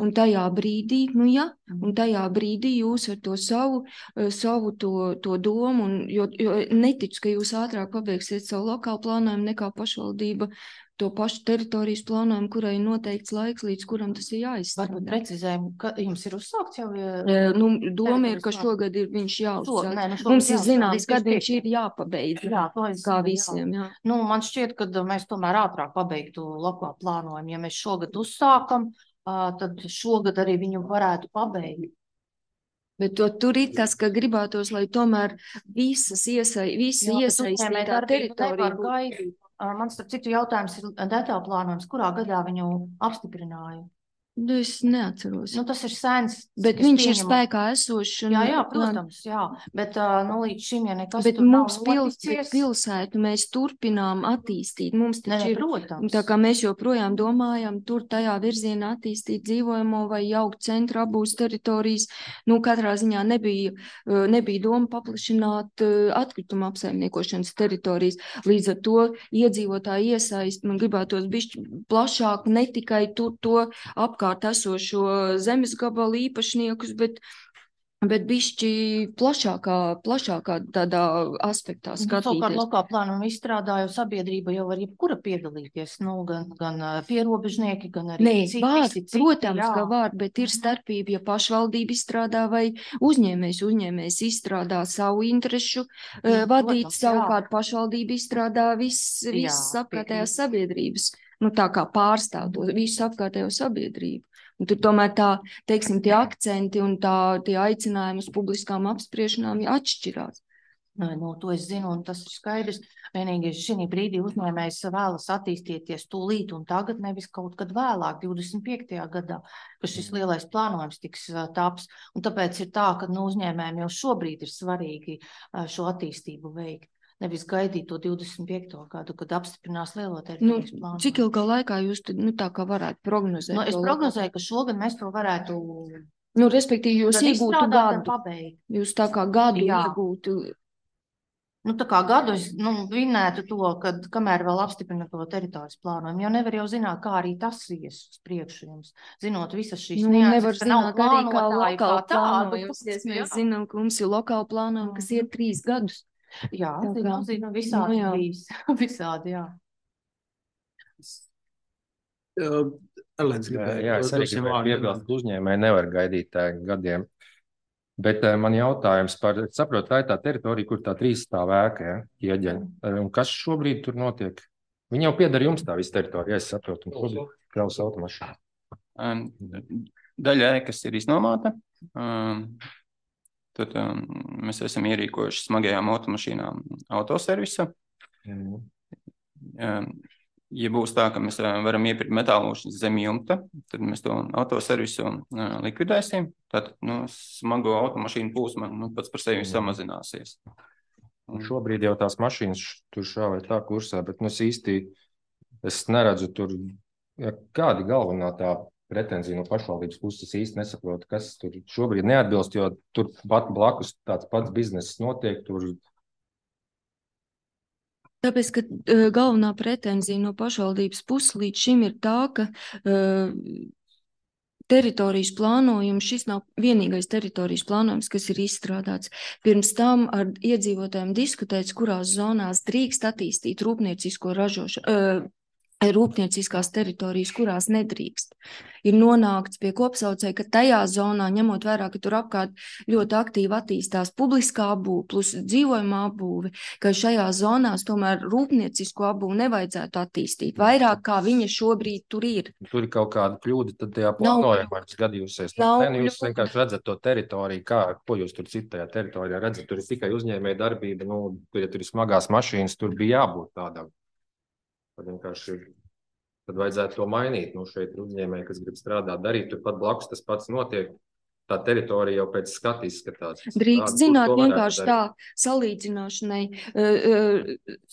un tajā brīdī, nu jā, un tajā brīdī jūs ar to savu, uh, savu to, to domu, un, jo, jo neticu, ka jūs ātrāk pabeigsiet savu lokālu plānojumu nekā pašvaldība to pašu teritorijas plānojumu, kurai ir noteikts laiks, līdz kuram tas ir jāizstrādā. Varbūt precizējumu, ka jums ir uzsākts jau? E, nu, doma ir, ka šogad ir viņš jāuzsāk. Nē, nu Mums ir zināms, kad viņš ir jāpabeidz. Jā, to es kā visiem, jā. Nu, man šķiet, ka mēs tomēr ātrāk pabeigtu lokālu plānojumu. Ja mēs šogad uzsākam, tad šogad arī viņu varētu pabeigt. Bet to, tur ir tas, ka gribētos, lai tomēr visas iesai, visa iesaistītā teritorija būtu. Man starp citu jautājums ir detaļu plānojums, kurā gadā viņu apstiprināja? Es neatceros. Nu, tas ir sens. Bet viņš pieņemu. Ir spēkā esošs. Jā, jā, protams, jā. Bet nu, līdz šim, ja nekas bet tur mums nav pils, noticies. Pilsētu mēs turpinām attīstīt. Mums ne, taču ir, protams. Tā kā mēs joprojām domājam, tur tajā virzienā attīstīt dzīvojamo vai jaukt centra abūs teritorijas. Nu, katrā ziņā nebija, nebija doma paplašināt atkrituma apsaimniekošanas teritorijas. Līdz ar to iedzīvotāji iesaist, man gribētos bišķi plašāk, ne tikai tur to apkārt esošo zemes gabalu īpašniekus, bet, bet bišķi plašākā, plašākā tādā aspektā skatīties. Savukārt lokālu plānumu izstrādāju sabiedrība jau var jebkura piedalīties, nu, gan, gan pierobežnieki, gan arī Nē, citi. var, citi, citi protams, jā. ka var, bet ir starpība, ja pašvaldība izstrādā vai uzņēmējs, uzņēmējs izstrādā savu interešu jā, vadīt, protams, savukārt jā. Pašvaldība izstrādā viss, viss apkārtējās sabiedrības. Nu, tā kā pārstāv to visu apkārtējo sabiedrību. Un tur tomēr tā, teiksim, tie akcenti un tā, tie aicinājumi uz publiskām apspriešanām atšķirās. Nē, no to es zinu, un tas ir skaidrs. Vienīgi šī brīdī uzņēmējs vēlas attīstīties tūlīt un tagad, nevis kaut kad vēlāk, divdesmit piektajā gadā, ka šis lielais plānojums tiks taps. Un tāpēc ir tā, ka nu, uzņēmējiem jau šobrīd ir svarīgi šo attīstību veikt. Nevis gaidīt to divdesmit piekto gadu, kad apstiprinās lielo teritorijas nu, plānu. Cik ilgā laikā jūs tad, nu, tā kā varētu prognozēt? Nu, es prognozēju, ka šogad mēs to varētu... Nu, respektīvi, jūs iegūtu gadu. Jūs tā kā gadu Jā. iegūtu. Nu, tā kā gadu es nu, vinētu to, kad kamēr vēl apstiprina to teritorijas plānojumu, jo nevar jau zināt, kā arī tas ies uz priekšu jums. Zinot visas šīs nu, nianses, nevar ka nav zināt arī kā plānotāji kā lokāli plānojums. tādu. Mēs zinām, ka mums ir lokāli plānojumi, kas iet trīs gadus. Jā, zinu, zinu, visādi nu, bijis. Visādi, jā. Uh, Elēns gribēja. Jā, es arī gribēju piebilst, ka uzņēmēji nevar gaidīt tā gadiem. Bet uh, man jautājums par, saprotu, tā ir tā teritorija, kur tā trīs stāv ēka, ja, ieģeņa. Un kas šobrīd tur notiek? Viņi jau piedara jums tā visa teritorija, es saprotu, un kur kraus automašīnu. Um, daļa ēkas ir iznomāta. Um, Tad um, mēs esam ierīkojuši smagajām automašīnām autoservisa. Mm. Um, ja būs tā, ka mēs varam iepirkt metālošas zem jumta, tad mēs to autoservisu uh, likvidēsim. Tad nu, smago automašīnu plūsma nu, pats par sevi mm. samazināsies. Un šobrīd jau tās mašīnas tur šā vai tā kursā, bet nu, es īsti es neredzu tur, ja, kādi galvenā tā pretenzija no pašvaldības puses īsti nesaprotu, kas tur šobrīd neatbilst, jo tur pat blakus tāds pats bizness notiek. Tur... Tāpēc, ka uh, galvenā pretenzija no pašvaldības puses līdz šim ir tā, ka uh, teritorijas plānojums, šis nav vienīgais teritorijas plānojums, kas ir izstrādāts. Pirms tam ar iedzīvotājiem diskutēts, kurās zonās drīkst attīstīt rūpniecisko ražošanu. Uh, rūpnieciskās teritorijas, kurās nedrīkst. Ir nonākts pie kopsaucēja, ka tajā zonā, ņemot vērā, ka tur apkārt ļoti aktīvi attīstās publiskā apbūve plus dzīvojumā apbūve, ka šajā zonās tomēr rūpniecisko apbūvi nevajadzētu attīstīt vairāk, kā viņa šobrīd tur ir. Tur ir kaut kāda kļūda, tad tajā plānojumā gadījūsies. Ne, nu, jūs vienkārši redzat to teritoriju, kā, ko jūs tur citajā teritorijā redzat, tur ir tikai uzņēmēja darbība, nu, tur, ja tur ir smagās mašīnas, tur bija jābūt tādām. Tad vienkārši tad vajadzētu to mainīt. Nu, šeit uzņēmēji, kas grib strādāt, darīt, tur pat blakus tas pats notiek. Tā teritorija jau pēc skata izskatās. Drīkst zināt vienkārši tā salīdzināšanai. Uh, uh,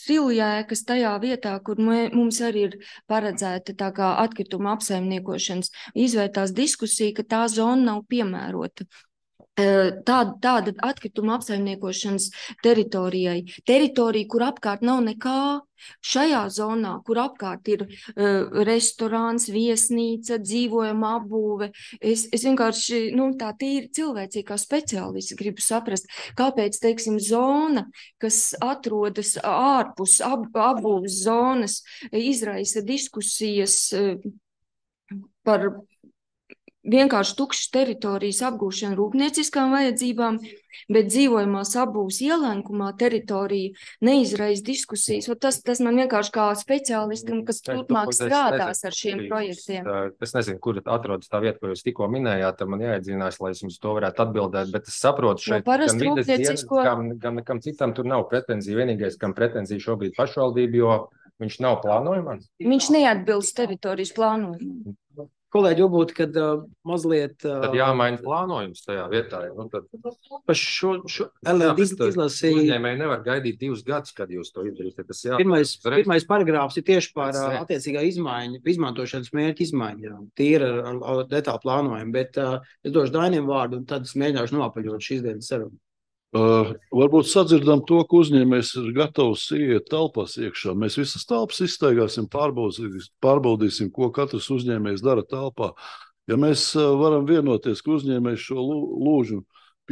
Siljēkas tajā vietā, kur mē, mums arī ir paredzēta tā kā atkrituma apsaimniekošanas, izvērtās diskusija, ka tā zona nav piemērota. Tāda, tāda atkrituma apsaimniekošanas teritorijai. Teritorija, kur apkārt nav nekā. Šajā zonā, kur apkārt ir uh, restorāns, viesnīca, dzīvojama apbūve, es, es vienkārši, nu, tā tīri cilvēcīgi kā speciālisti gribu saprast, kāpēc, teiksim, zona, kas atrodas ārpus ab, apbūves zonas, izraisa diskusijas uh, par vienkārši tukšas teritorijas apgūšanu rūpnieciskām vajadzībām, bet dzīvojamās apbūves ielenkumā teritorija neizraisa diskusijas. Tas, tas man vienkārši kā speciālistam, kas turpmāk strādās ar šiem projektiem. Es nezinu, kur atrodas tā vieta, ko jūs tikko minējāt, tad man jāiedzinās, lai es jums to varētu atbildēt, bet es saprotu šeit, no gan vides dienas, gan, gan nekam citam tur nav pretenzija. Vienīgais, kam pretenzija šobrīd pašvaldība, jo viņš nav plānojumā. Viņš neatbilst teritorijas plānojumam. Kolēģi, varbūt, kad uh, mazliet... Uh, tad jāmaina plānojums tajā vietā. Nu, tad... Pa šo, šo Elēna izlasīja... Uzņēmēji nevar gaidīt divus gadus, kad jūs to izdarīsiet. Tas jā... Pirmais, pirmais paragrāfs ir tieši par uh, attiecīgā izmaiņa, izmantošanas mērķa izmaiņām. Tīri ar, ar, ar detālu plānojumu, bet uh, es došu Dainim vārdu un tad es mēģināšu noapaļot šīs dienas sarunu. Uh, varbūt sadzirdam to, ka uzņēmējs ir gatavs iet telpās iekšā. Mēs visas telpas izstaigāsim, pārbaudīsim, pārbaudīsim, ko katrs uzņēmējs dara telpā. Ja mēs uh, varam vienoties, ka uzņēmējs šo lūžu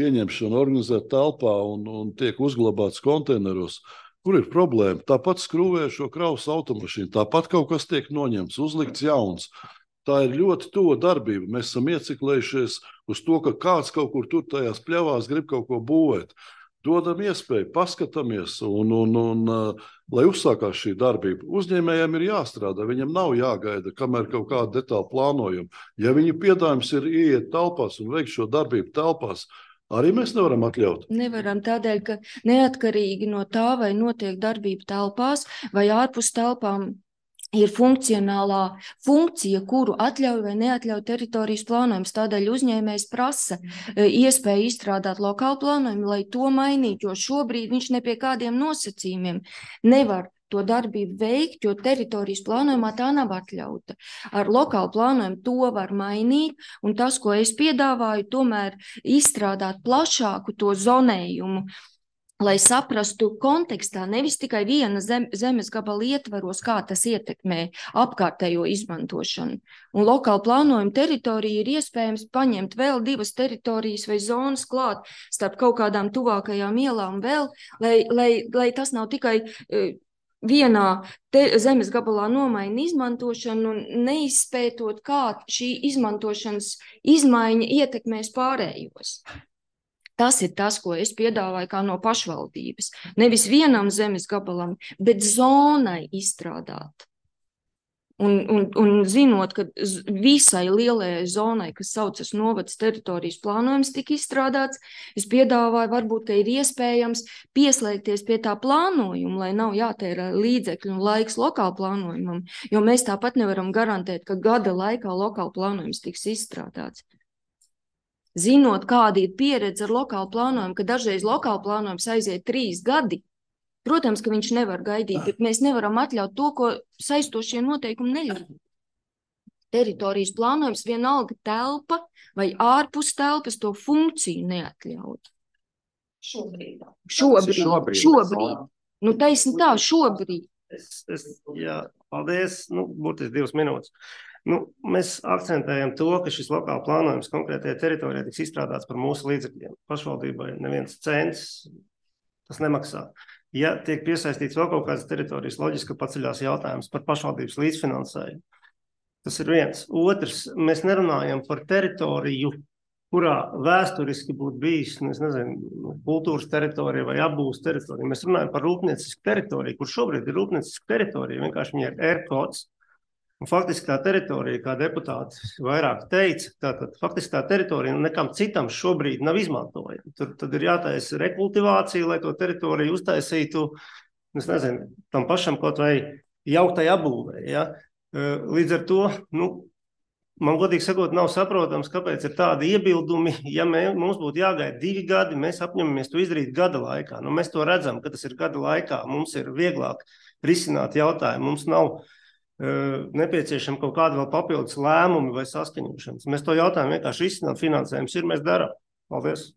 pieņemšanu organizē telpā un, un tiek uzglabāts konteineros, kur ir problēma? Tāpat skrūvē šo kravas automašīnu, tāpat kaut kas tiek noņemts, uzlikts jauns. Tā ir ļoti tuva darbība. Mēs esam ieciklējušies uz to, ka kāds kaut kur tur tajās pļavās grib kaut ko būvēt. Dodam iespēju, paskatāmies, un, un, un, uh, lai uzsākās šī darbība. Uzņēmējiem ir jāstrādā, viņam nav jāgaida, kamēr kaut kāda detāla plānojuma. Ja viņu piedāvājums ir ieiet telpās un veikt šo darbību telpās, arī mēs nevaram atļaut. Nevaram tādēļ, ka neatkarīgi no tā, vai notiek darbība telpās vai ārpus telpām, ir funkcionālā funkcija, kuru atļauj vai neatļauj teritorijas plānojums. Tādēļ uzņēmējs prasa iespēju izstrādāt lokālu plānojumu, lai to mainītu, jo šobrīd viņš ne pie kādiem nosacījumiem nevar to darbību veikt, jo teritorijas plānojumā tā nav atļauta. Ar lokālu plānojumu to var mainīt, un tas, ko es piedāvāju, tomēr izstrādāt plašāku to zonējumu, lai saprastu kontekstā, nevis tikai viena zem, zemes gabala ietvaros, kā tas ietekmē apkārtējo izmantošanu. Un lokāli plānojuma teritorija ir iespējams paņemt vēl divas teritorijas vai zonas klāt starp kaut kādām tuvākajām ielām vēl, lai, lai, lai tas nav tikai uh, vienā te, zemes gabalā nomaina izmantošanu un neizpētot, kā šī izmantošanas izmaiņa ietekmēs pārējos. Tas ir tas, ko es piedāvāju kā no pašvaldības. Nevis vienam zemes gabalam, bet zonai izstrādāt. Un, un, un zinot, ka visai lielajai zonai, kas saucas novads teritorijas plānojums, tika izstrādāts, es piedāvāju, varbūt, ka ir iespējams pieslēgties pie tā plānojuma, lai nav jātērē līdzekļu un laiks lokāla plānojumam, jo mēs tāpat nevaram garantēt, ka gada laikā lokāla plānojums tiks izstrādāts. Zinot, kāda ir pieredze ar lokālu plānojumu, ka dažreiz lokāla plānojums aiziet trīs gadi, protams, ka viņš nevar gaidīt, bet mēs nevaram atļaut to, ko saistošie noteikumi neļauj. Teritorijas plānojums vienalga telpa vai ārpus telpas to funkciju neatļauj. Šobrīd. Šobrīd. Šobrīd. Šobrīd. Nu, taisni tā, šobrīd. Es, es, jā, paldies. Nu, būtiski divas minūtes. Nu, mēs akcentējam to, ka šis lokāla plānojums konkrētajā teritorijā tiks izstrādāts par mūsu līdzekļiem. Pašvaldībai neviens cents tas nemaksā. Ja tiek piesaistīts vēl kaut kādas teritorijas, loģiski paceļās jautājums par pašvaldības līdzfinansējumu. Tas ir viens. Otrs, mēs nerunājam par teritoriju, kurā vēsturiski būtu bijis, es nezinu, kultūras teritorija vai apbūves teritorija. Mēs runājam par rūpniecisku teritoriju, kur šobrīd ir rūpnieciska teritorija, vienkārši viņa ir ērkods. Un faktiski tā teritorija, kā deputāti vairāk teica, tātad faktiski tā teritorija nekam citam šobrīd nav izmantojama. Tur tad ir jātaisa rekultivācija, lai to teritoriju uztaisītu, es nezinu, tam pašam kaut vai jauktai apbūvei. Ja? Līdz ar to, nu, man godīgi sakot, nav saprotams, kāpēc ir tādi iebildumi. Ja mē, mums būtu jāgaida divi gadi, mēs apņemamies to izdarīt gada laikā. Nu, mēs to redzam, ka tas ir gada laikā. Mums ir vieglāk risināt jautājumu. Mums nav nepieciešama kaut kāda vēl papildus lēmumi vai saskaņošanas. Mēs to jautājumu vienkārši risinām, finansējums ir, mēs darām. Paldies!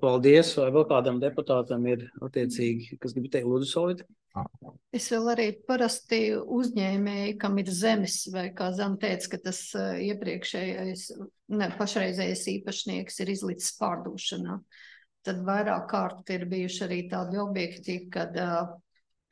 Paldies! Vai vēl kādam deputātam ir attiecīgi, kas grib teikt, lūdzu, Solita? Es vēl arī parasti uzņēmēji, kam ir zemes, vai kā Zana teica, ka tas iepriekšējais, ne, pašreizējais īpašnieks ir izlicis pārdošanā. Tad vairāk kārt ir bijuši arī tādi objekti, kad uh,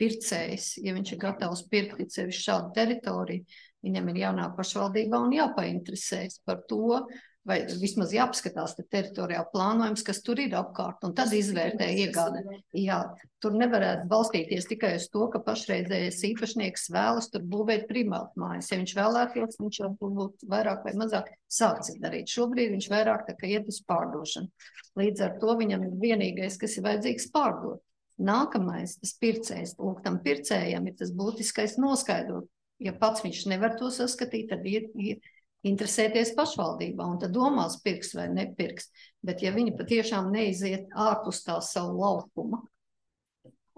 pircējs, ja viņš ir gatavs pirkt sevi šādu teritoriju, viņam ir jānāk pašvaldībā un jāpainteresēs par to, vai vismaz jāapskatās te teritorijā plānojums, kas tur ir apkārt, un tad izvērtē iegāde. Jā, tur nevarētu balstīties tikai uz to, ka pašreizējais īpašnieks vēlas tur būvēt primātmājas. Ja viņš vēlētos, viņš jau būtu vairāk vai mazāk sācis darīt. Šobrīd viņš vairāk tā kā iet uz pārdošanu. Līdz ar to viņam ir vienīgais, kas ir vajadzīgs pārdot. Nākamais, tas pircējs, lūk, tam pircējam ir tas būtiskais noskaidrot. Ja pats viņš nevar to saskatīt, tad ir, ir interesēties pašvaldībā, un tad domās pirks vai nepirks. Bet ja viņi patiešām neiziet ārpus tā savu laukuma,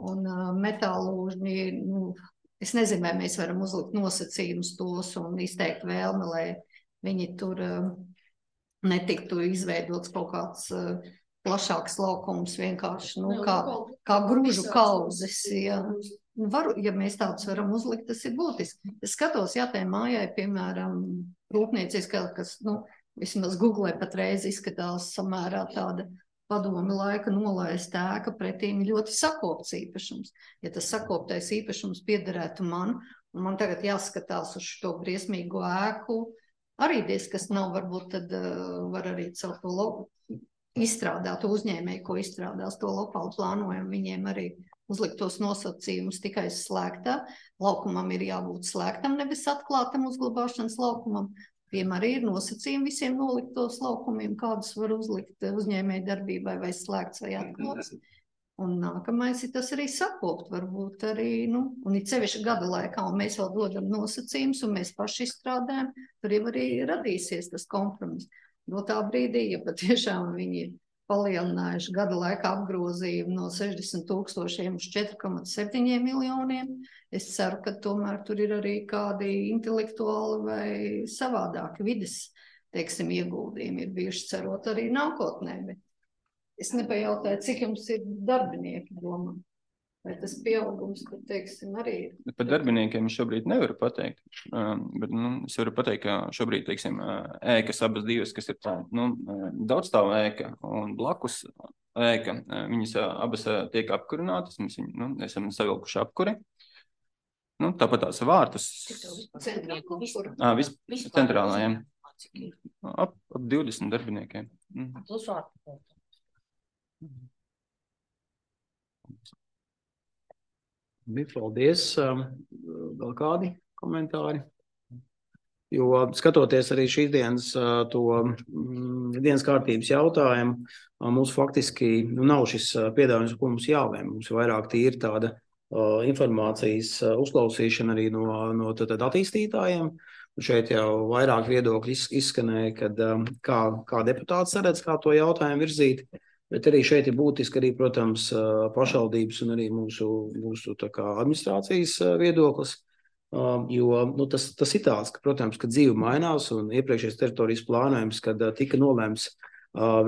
un uh, metālūžņi, nu, es nezinu, vai mēs varam uzlikt nosacījumus tos un izteikt vēlmi, lai viņi tur uh, netiktu izveidots kaut kāds uh, plašāks laukums, vienkārši, nu, kā, kā gružu kaudzes, ja. Varu, ja mēs tādus varam uzlikt, tas ir būtiski. Es skatos, jā, tai mājai, piemēram, rūpnieciskā, kas, nu, vismaz Google patreiz izskatās samērā tāda padomi laika nolaista ēka, pretīm ļoti sakopts īpašums. Ja tas sakoptais īpašums piederētu man, un man tagad jāskatās uz šo briesmīgo ēku, arī diez, kas nav, varbūt tad uh, var arī caur to loku izstrādāt uzņēmēju, ko izstrādās to lokālu plānojumu, viņiem arī uzlikt tos nosacījumus tikai slēgtā. Laukumam ir jābūt slēgtam, nevis atklātam uzglabāšanas laukumam. Tiem arī ir nosacījumi visiem noliktos laukumiem, kādus var uzlikt uzņēmēju darbībai vai slēgts vai atklāts. Un nākamais ir tas arī sakopt, varbūt arī, nu, un ir sevišķi gada laikā, un mēs vēl dodam nosacījumus, un mēs paši izstrādājam, tur jau arī radīsies tas kompromiss. No tā brīdī, ja patiešām viņi ir palielinājuši gada laikā apgrozījumu no sešdesmit tūkstošiem uz četri komats septiņi miljoniem. Es ceru, ka tomēr tur ir arī kādi intelektuāli vai savādāki vides, teiksim, ieguldījumi ir bijuši, cerot arī nākotnē. Bet es nepajautāju, cik jums ir darbinieki domā. Vai tas pieaugums, ka, teiksim, arī ir? Par darbiniekiem es šobrīd nevaru pateikt, bet, nu, es varu pateikt, ka šobrīd, teiksim, ēkas abas divas, kas ir tā, nu, daudzstāvu ēka un blakus ēka, viņas abas tiek apkurinātas, mēs viņu, nu, esam savilkuši apkuri. Nu, tāpat tās vārtus. Ā, vis, centrālajiem. Ap, ap divdesmit darbiniekiem. Plus vārtu. Paldies. Vēl kādi komentāri? Jo skatoties arī šīs dienas, to dienas kārtības jautājumu, mums faktiski nu, nav šis piedāvājums, ko mums jālēm. Mums vairāk tīri tāda uh, informācijas uzklausīšana arī no, no tad, tad attīstītājiem. Un šeit jau vairāk viedokļi izskanēja, kad, um, kā, kā deputāts saredz, kā to jautājumu virzīt. Bet arī šeit ir būtiski arī, protams, pašvaldības un arī mūsu, mūsu tā kā administrācijas viedoklis. Jo nu, tas, tas ir tāds, ka, protams, ka dzīve mainās un iepriekšējais teritorijas plānojums, kad tika nolēmts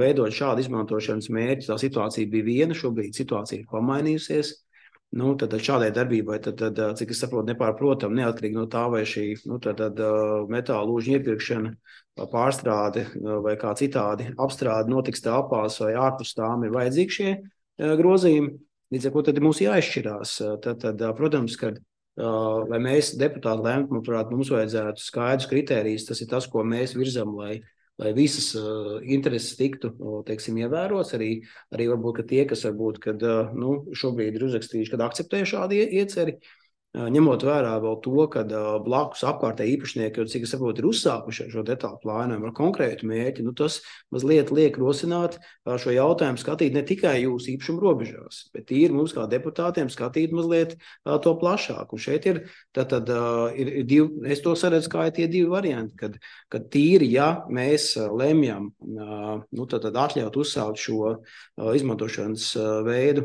veidot šādu izmantošanas mērķi, tā situācija bija viena, šobrīd situācija ir pamainījusies. Nu, tad šādai darbībai, tad, tad, cik es saprotu, nepārprotam, neatkarīgi no tā, vai šī nu, tad, tad, metāla lūžņa iepirkšana, pārstrāde vai kā citādi apstrāde notiks telpās vai ārpus tām ir vajadzīgi šie grozījumi. Līdz ar ko tad mums jāizšķirās. Tad, tad, protams, kad lai mēs deputāti lemtu, manuprāt, mums vajadzētu skaidrs kritērijus, tas ir tas, ko mēs virzam, lai lai visas uh, intereses tiktu, teiksim, ievērots, arī, arī varbūt, ka tie, kas varbūt, kad, uh, nu, šobrīd ir uzrakstījuši, kad akceptē šādu ieceri, uh, ņemot vērā vēl to, kad uh, blakus apkārtēji īpašnieki, cik es saprotu, ir uzsākuši šo detālu plānojumu ar konkrētu mērķi, nu, tas mazliet liek rosināt uh, šo jautājumu skatīt ne tikai jūsu īpašumu robežās, bet ir mums kā deputātiem skatīt mazliet uh, to plašāk. Un šeit ir, tad, tad, uh, ir, ir divi, es to saredzu, kā ir tie divi varianti, kad, kad tīri, ja mēs lemjam, nu, tad, tad atļaut uzsākt šo izmantošanas veidu,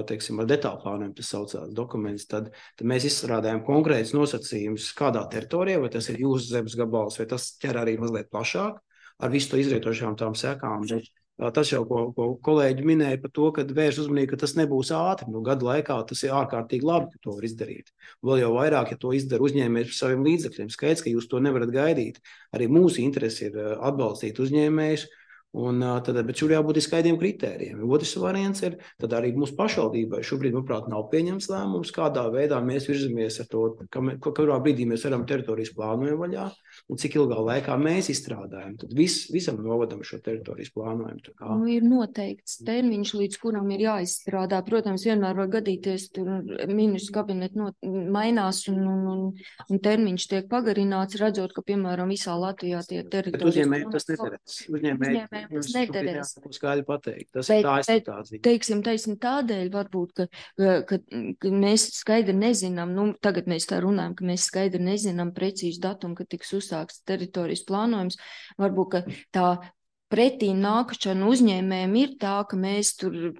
teiksim, ar detālu plānojumu, tas saucās dokuments, tad, tad mēs izstrādājam konkrētus nosacījumus kādā teritorijā, vai tas ir jūsu zemes gabals, vai tas ķer arī mazliet plašāk, ar visu to izrietošām tām sekām. Bet, tas jau, ko, ko kolēģi minēja par to, ka vērš uzmanību, ka tas nebūs ātri. Nu, gadu laikā tas ir ārkārtīgi labi, ka to var izdarīt. Vēl jau vairāk, ja to izdara uzņēmējs par saviem līdzekļiem. Skaidrs, ka jūs to nevarat gaidīt. Arī mūsu interesi ir atbalstīt uzņēmējus. Un, tad, bet šur jābūt skaidriem kritērijiem. Otrs variants ir, tad arī mūsu pašvaldībai šobrīd, manuprāt, nav pieņemts lēmums, kādā veidā mēs virzamies ar to, kurā brīdī mēs varam teritorijas plānojumu vaļā un cik ilgā laikā mēs izstrādājam. Tad vis, visam novadam šo teritorijas plānojumu. Nu, ir noteikts termiņš, līdz kuram ir jāizstrādā. Protams, vienmēr var gadīties, tur ministru kabineti not, mainās un, un, un, un termiņš tiek pagarināts, redzot, ka, piemēram, visā Latvijā tie teritorijas. Bet uzņēmējiem tas nederēs. Uzņēmēji tas nederēs. Skaļi pateikt. Tas bet, tā ir situācija. Teiksim, teiksim, tādēļ varbūt, ka, ka, ka mēs skaidri nezinām, nu, tagad mēs tā runājam, ka mēs skaidri nezinām precīzi datumu, kad tiks uzsākts teritorijas plānojums. Varbūt, ka tā pretī nākšana uzņēmējiem ir tā, ka mēs tur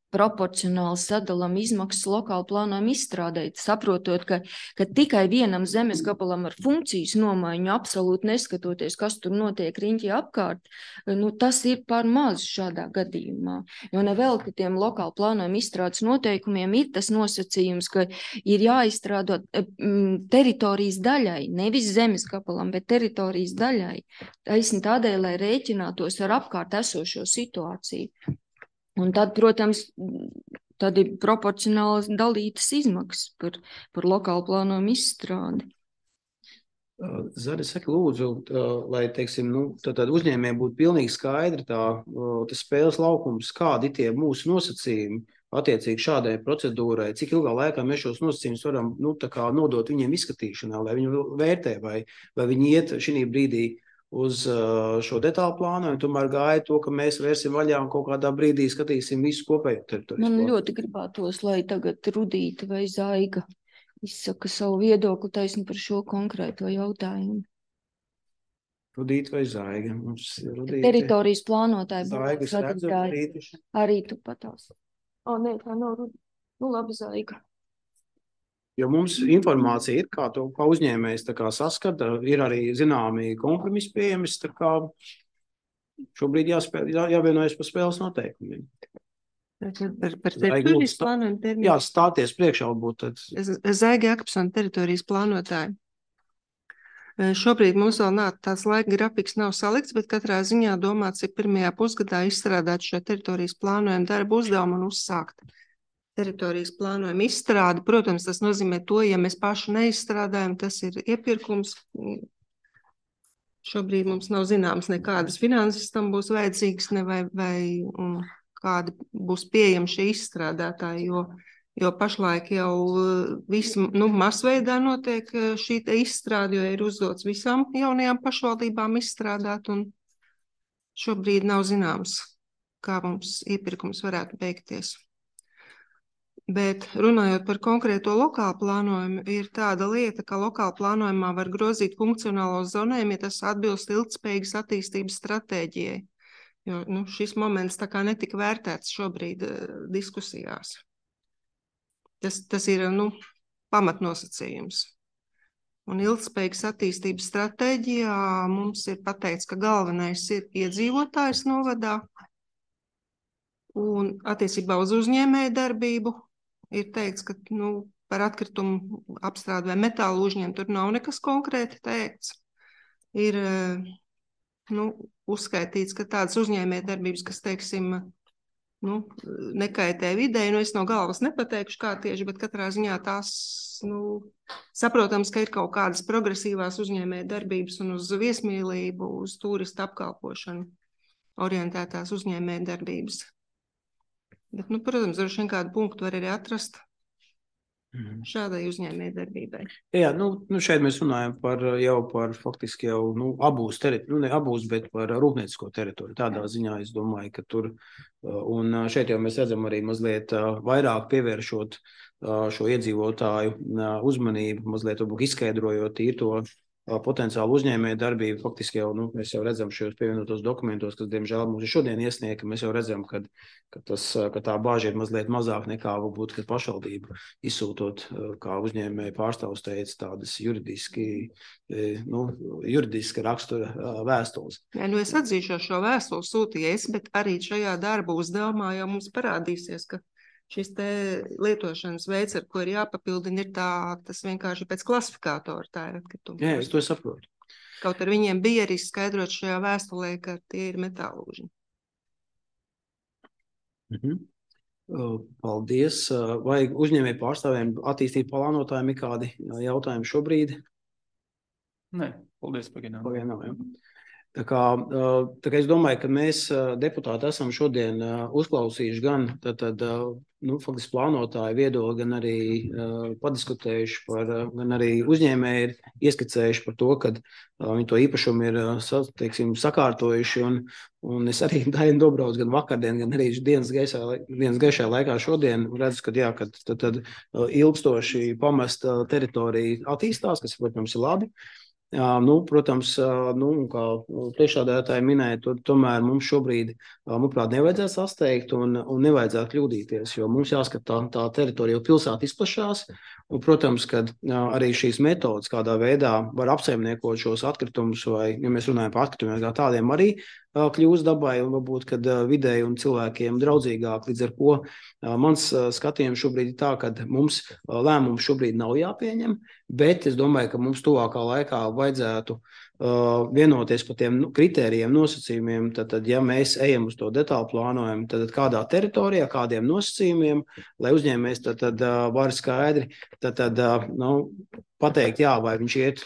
proporcionāli sadalām izmaksas lokāli plānojumu izstrādēt, saprotot, ka, ka tikai vienam zemes gabalam ar funkcijas nomaiņu, absolūti neskatoties, kas tur notiek riņķi apkārt, nu, tas ir par maz šādā gadījumā. Jo nevēl, ka tiem lokāli plānojumu izstrādes noteikumiem ir tas nosacījums, ka ir jāizstrādot mm, teritorijas daļai, nevis zemes gabalam, bet teritorijas daļai. Taisni tādēļ, lai rēķinātos ar apkārt esošo situāciju. Un tad, protams, tad ir proporcionāli dalītas izmaksas par, par lokālu plānojumu izstrādi. Zari, saka, lūdzu, lai, teiksim, nu, tad uzņēmējiem būtu pilnīgi skaidri tā, tas spēles laukums, kādi tie mūsu nosacījumi attiecīgi šādai procedūrai, cik ilgā laikā mēs šos nosacījumus varam, nu, tā kā nodot viņiem izskatīšanā, lai viņi vērtē, vai, vai viņi iet šī brīdī uz šo detālu plānu, un tomēr gaida to, ka mēs vērsim vaļā un kaut kādā brīdī skatīsim visu kopējo teritoriju. Man ļoti gribētos, lai tagad Rudīta vai Zaiga izsaka savu viedokli taisni par šo konkrēto jautājumu. Rudīta vai Zaiga? Mums Rudīta... Teritorijas plānotāji. Zaigas redzu, Rudīta. Arī tu patās. O, nē, tā nav Rudīta. Nu, labi, Zaiga. Jo mums informācija ir, kā to kā uzņēmējs tā kā saskata, ir arī zināmi kompromisi pieejami, tā kā šobrīd jāspēl, jā, jāvienojas par spēles noteikumiem. Par, par teritorijas plānojumu termiņu. Jā, stāties priekšā būt tad. Zaiga Akpsona teritorijas plānotāji. Šobrīd mums vēl nav tās laika grafiks nav salikts, bet katrā ziņā domāts ir pirmajā pusgadā izstrādāt šo teritorijas plānojumu darbu uzdevumu un uzsākt teritorijas plānojumu izstrādi. Protams, tas nozīmē to, ja mēs paši neizstrādājam, tas ir iepirkums. Šobrīd mums nav zināms nekādas finanses tam būs vajadzīgas, ne vai, vai un kādi būs pieejami šie izstrādātāji, jo, jo pašlaik jau viss, nu, masveidā notiek šī te izstrāde, jo ir uzdots visām jaunajām pašvaldībām izstrādāt, un šobrīd nav zināms, kā mums iepirkums varētu beigties. Bet runājot par konkrēto lokālu plānojumu, ir tāda lieta, ka lokāla plānojumā var grozīt funkcionālo zonējumu, ja tas atbilst ilgtspējīgas attīstības stratēģijai. Jo, nu, šis moments tā kā netika vērtēts šobrīd uh, diskusijās. Tas, tas ir, nu, pamatnosacījums. Un ilgtspējīgas attīstības stratēģijā mums ir pateikts, ka galvenais ir iedzīvotājs novadā. Un attiecībā uz uzņēmēju darbību ir teikts, ka, nu, par atkritumu apstrādi vai metālu uzņēmumu tur nav nekas konkrēti teikts. Ir, nu, uzskaitīts, ka tādas uzņēmēju darbības, kas, teiksim, nu, nekaitē videi, nu, es no galvas nepateikšu, kā tieši, bet katrā ziņā tās, nu, saprotams, ka ir kaut kādas progresīvās uzņēmēju darbības un uz viesmīlību, uz turistu apkalpošanu orientētās uzņēmēju darbības. Bet, nu, protams, droši vien kādu punktu var arī atrast šādai uzņēmēju darbībai. Jā, nu, nu šeit mēs runājam par jau par faktiski jau, nu, abūs teritoriju, nu, ne abūs, bet par rūpniecisko teritoriju. Tādā ziņā es domāju, ka tur, un šeit jau mēs redzam arī mazliet vairāk pievēršot šo iedzīvotāju uzmanību, mazliet varbūt izskaidrojot ir to potenciālu uzņēmēju darbību. Faktiski jau, nu, mēs jau redzam šajos pievienotos dokumentos, kas, diemžēl, mums ir šodien iesniegti, mēs jau redzam, ka, ka, tas, ka tā bāža ir mazliet mazāk nekā varbūt, kad pašvaldība izsūtot, kā uzņēmēju pārstāvs teica, tādas juridiski, nu, juridiska rakstura vēstules. Jā, nu es atzīšu, šo vēstuli sūtīju es, bet arī šajā darba uzdevumā jau mums parādīsies, ka šis te lietošanas veids, ar ko ir jāpapildina, ir tā, tas vienkārši pēc klasifikātora tā ir atkritumi. Jā, es to saprotu. Kaut ar viņiem bija arī skaidrot šajā vēstulē, ka tie ir metālūži. Mhm. Paldies. Vai uzņēmēju pārstāvjiem attīstīt plānotājiem ir kādi jautājumi šobrīd? Nē, paldies, pagaidām. Pagaidām, jā. Tā kā, tā kā es domāju, ka mēs deputāti esam šodien uzklausījuši gan tad, tad, nu, faktiski plānotāju viedokli, gan arī uh, padiskutējuši par, gan arī uzņēmēji ir ieskicējuši par to, ka uh, viņi to īpašumu ir, uh, teiksim, sakārtojuši, un, un es arī Dainu Dobrauc gan vakardien, gan arī dienas gaisā, dienas gaišajā laikā šodien redzu, ka jā, ka tad, tad uh, ilgstoši pamesta teritorija attīstās, kas, protams, ir labi. Jā, nu, protams, nu, kā priekšsēdētāji minēja, to, tomēr mums šobrīd, manuprāt, nevajadzētu sasteigt un, un nevajadzētu kļūdīties, jo mums jāskat tā, tā teritorija, jo pilsēta izplašās, un, protams, kad arī šīs metodas kādā veidā var apsaimniekot šos atkritumus, vai, ja mēs runājam par atkritumiem, kā tādiem arī kļūst dabai, un varbūt, kad vidēji un cilvēkiem draudzīgāk, līdz ar ko mans skatījums šobrīd ir tā, ka mums lēmums šobrīd nav jāpieņem, bet es domāju, ka mums tuvākā laikā vajadzētu uh, vienoties par tiem kritērijiem, nosacījumiem, tad, tad ja mēs ejam uz to detālu plānojumu, tad, tad kādā teritorijā, kādiem nosacījumiem, lai uzņēmējs tad, tad uh, var skaidri tad, tad, uh, nu, pateikt, jā, vai viņš iet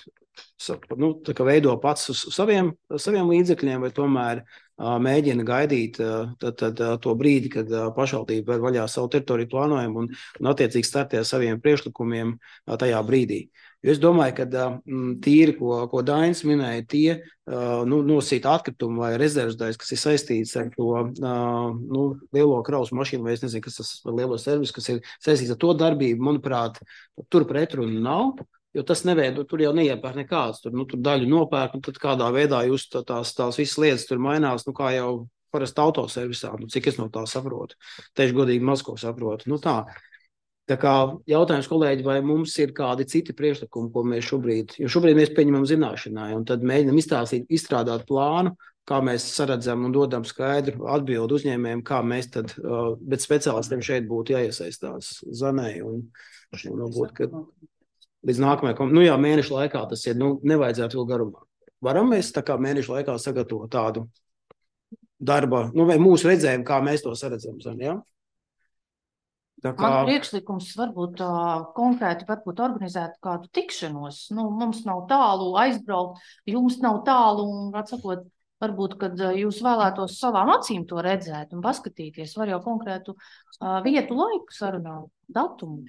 nu, tā kā veido pats uz saviem, saviem līdzekļiem, vai tomēr uh, mēģina gaidīt uh, tad, tad, uh, to brīdi, kad uh, pašvaldība var vaļā savu teritoriju plānojumu un, un attiecīgi startē ar saviem priekšlikumiem uh, tajā brīdī. Jo es domāju, ka uh, tīri, ko, ko Dainis minēja, tie uh, nu, nosīta atkritumu vai rezervas daļas, kas ir saistīts ar to uh, nu, lielo kravas mašīnu, vai es nezinu, kas tas ir lielo servis, kas ir saistīts ar to darbību, manuprāt, tur pretrunu nav. Jo tas neveido, tur jau neiepērk nekāds, tur, nu, tur daļu nopērk, un tad kādā veidā jūs tā, tās, tās visas lietas tur mainās, nu, kā jau parasti autoservisā, nu, cik es no tā saprotu. Tieši godīgi maz ko saprotu. Nu, tā. Tā kā jautājums, kolēģi, vai mums ir kādi citi priekšlikumi, ko mēs šobrīd, jo šobrīd mēs pieņemam zināšanai, un tad mēģinam izstāstīt, izstrādāt plānu, kā mēs saredzam un dodam skaidru atbildu uzņēmējiem, kā mēs tad, bet speciālistiem šeit būtu jāiesaistās Zanei, un varbūt, ka līdz nākamajai, nu jā, mēnešu laikā tas ir, nu, nevajadzētu vēl garumā. Varam mēs tā kā mēnešu laikā sagatavot tādu darba, nu, vai mūsu redzējumu, kā mēs to saredzam, jā? Tā kā... Man priekšlikums varbūt uh, konkrēti varbūt organizēt kādu tikšanos. Nu, mums nav tālu aizbraukt, jums nav tālu, un, atsakot, varbūt, kad jūs vēlētos savām acīm to redzēt un paskatīties, var jau konkrētu uh, vietu, laiku sarunāt, datumu.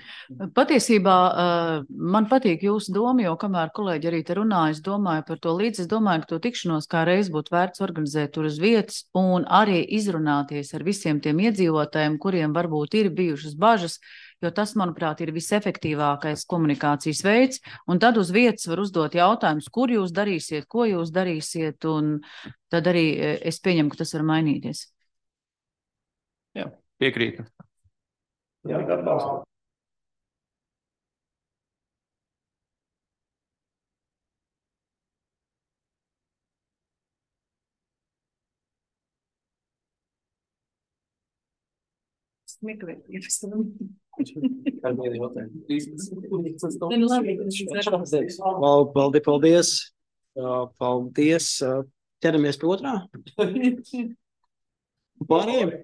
Patiesībā uh, man patīk jūsu doma, jo kamēr kolēģi arī te runāja, es domāju par to līdzi, es domāju, ka to tikšanos kā reiz būtu vērts organizēt tur uz vietas un arī izrunāties ar visiem tiem iedzīvotājiem, kuriem varbūt ir bijušas bažas, jo tas, manuprāt, ir visefektīvākais komunikācijas veids, un tad uz vietas var uzdot jautājumus, kur jūs darīsiet, ko jūs darīsiet, un tad arī es pieņemu, ka tas var mainīties. Jā, piekrītu. Jā, atbalstu. Paldies, paldies. Paldies. Ķeramies pie otrā. Pārējiem.